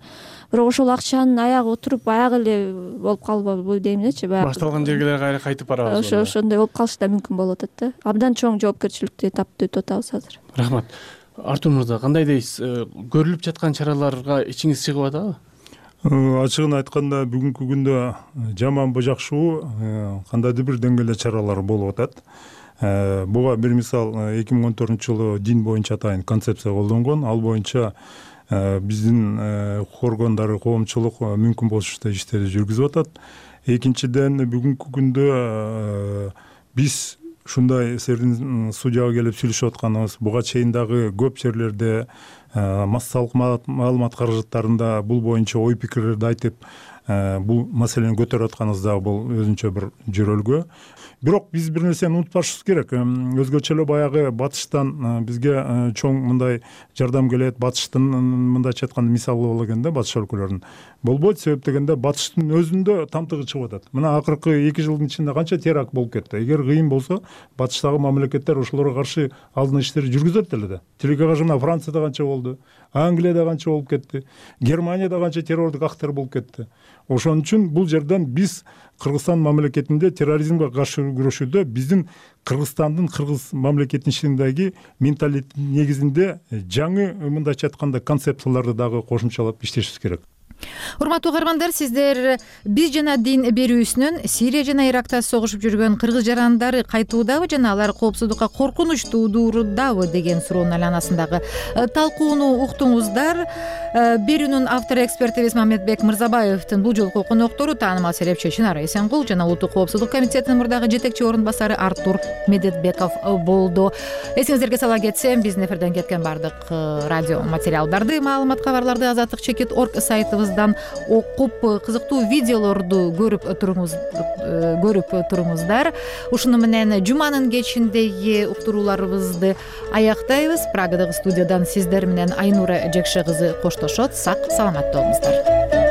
F: Бирок ошол акчанын аягы отуруп, аягы эле болуп калбайбы дейм дечи.
V: Башталган жерге кайра кайтып барабыз.
F: Ошондой болуп калышы да мүмкүн болуп атат да. Абдан чоң жоопкерчиликти таптып өтүп атабыз азыр.
V: Рахмат. Артур мырза, кандай дейсиз? Көрүлүп жаткан чараларга ичиңиз чыгып атабы?
T: Ачыгын айтканда бүгүнкү күндө жаманбы жакшыбы кандайдыр бир деңгээлде чаралар болуп атат. Буга бир мисал 2014 жылы дин боюнча атайын концепция колдонгон. Ал боюнча биздин укук органдары, коомчулук мүмкүн болушунча иштерди жүргүзүп атат. Экинчиден, бүгүнкү күндө биз ушундай сиздин судьяга келип сүйлөшүп атканыбыз, буга чейин дагы көп жерлерде массалык маалымат каражаттарында бул боюнча ой пикирлерди айтып, бул маселени көтөрүп атканыбыз дагы бул өзүнчө бир жөрөлгө. Бирок биз бир нерсени унутпашыбыз керек. Өзгөчө эле баягы батыштан бизге чоң мындай жардам келет. Батыштын мындайча айтканда мисалы боло экен да, батыш өлкөлөрүнүн. Болбойт, себеп дегенде батыштын өзүндө тамтыгы чыгып атат. Мына акыркы 2 жылдын ичинде канча теракт болуп кетти. Эгер кыйын болсо, батыштагы мамлекеттер ошолорго каршы алдын иштерди жүргүзөт эле да. Тилге каршы мына Францияда канча болду, Англияда канча болуп кетти, Германияда канча террордук актар болуп кетти. Ошон үчүн бул жерден биз Кыргызстан мамлекетинде терроризмге каршы күрөшүүдө биздин Кыргызстандын, кыргыз мамлекетинин ичиндеги менталитет негизинде жаңы мындайча айтканда концепцияларды дагы кошумчалап иштешибиз керек.
A: Урматтуу угармандар, сиздер биз жана дин берүүсүнөн Сирия жана Иракта согушуп жүргөн кыргыз жарандары кайтуудабы жана алар коопсуздукка коркунуч туудурудабы деген суроонун айланасындагы талкууну уктуңуздар. Берүүнүн автору экспертибиз Мамедбек Мырзабаевдин бул жолку коноктору таанымал серепчи Чынар Эсенгул жана Улуттук коопсуздук комитетинин мурдагы жетекчи орун басары Артур Медетбеков болду. Эсиңиздерге сала кетсем, биздин эфирден кеткен бардык радио материалдарды, маалымат кабарларды azatlyk.org сайтыбыздан окуп, кызыктуу видеолорду көрүп туруңуздар. Ушуну менен жуманын кечиндеги уктурууларыбызды аяктайбыз. Прагадагы студиядан сиздер менен Айнура Жекше кызы коштошот. Сак саламатта болуңуздар.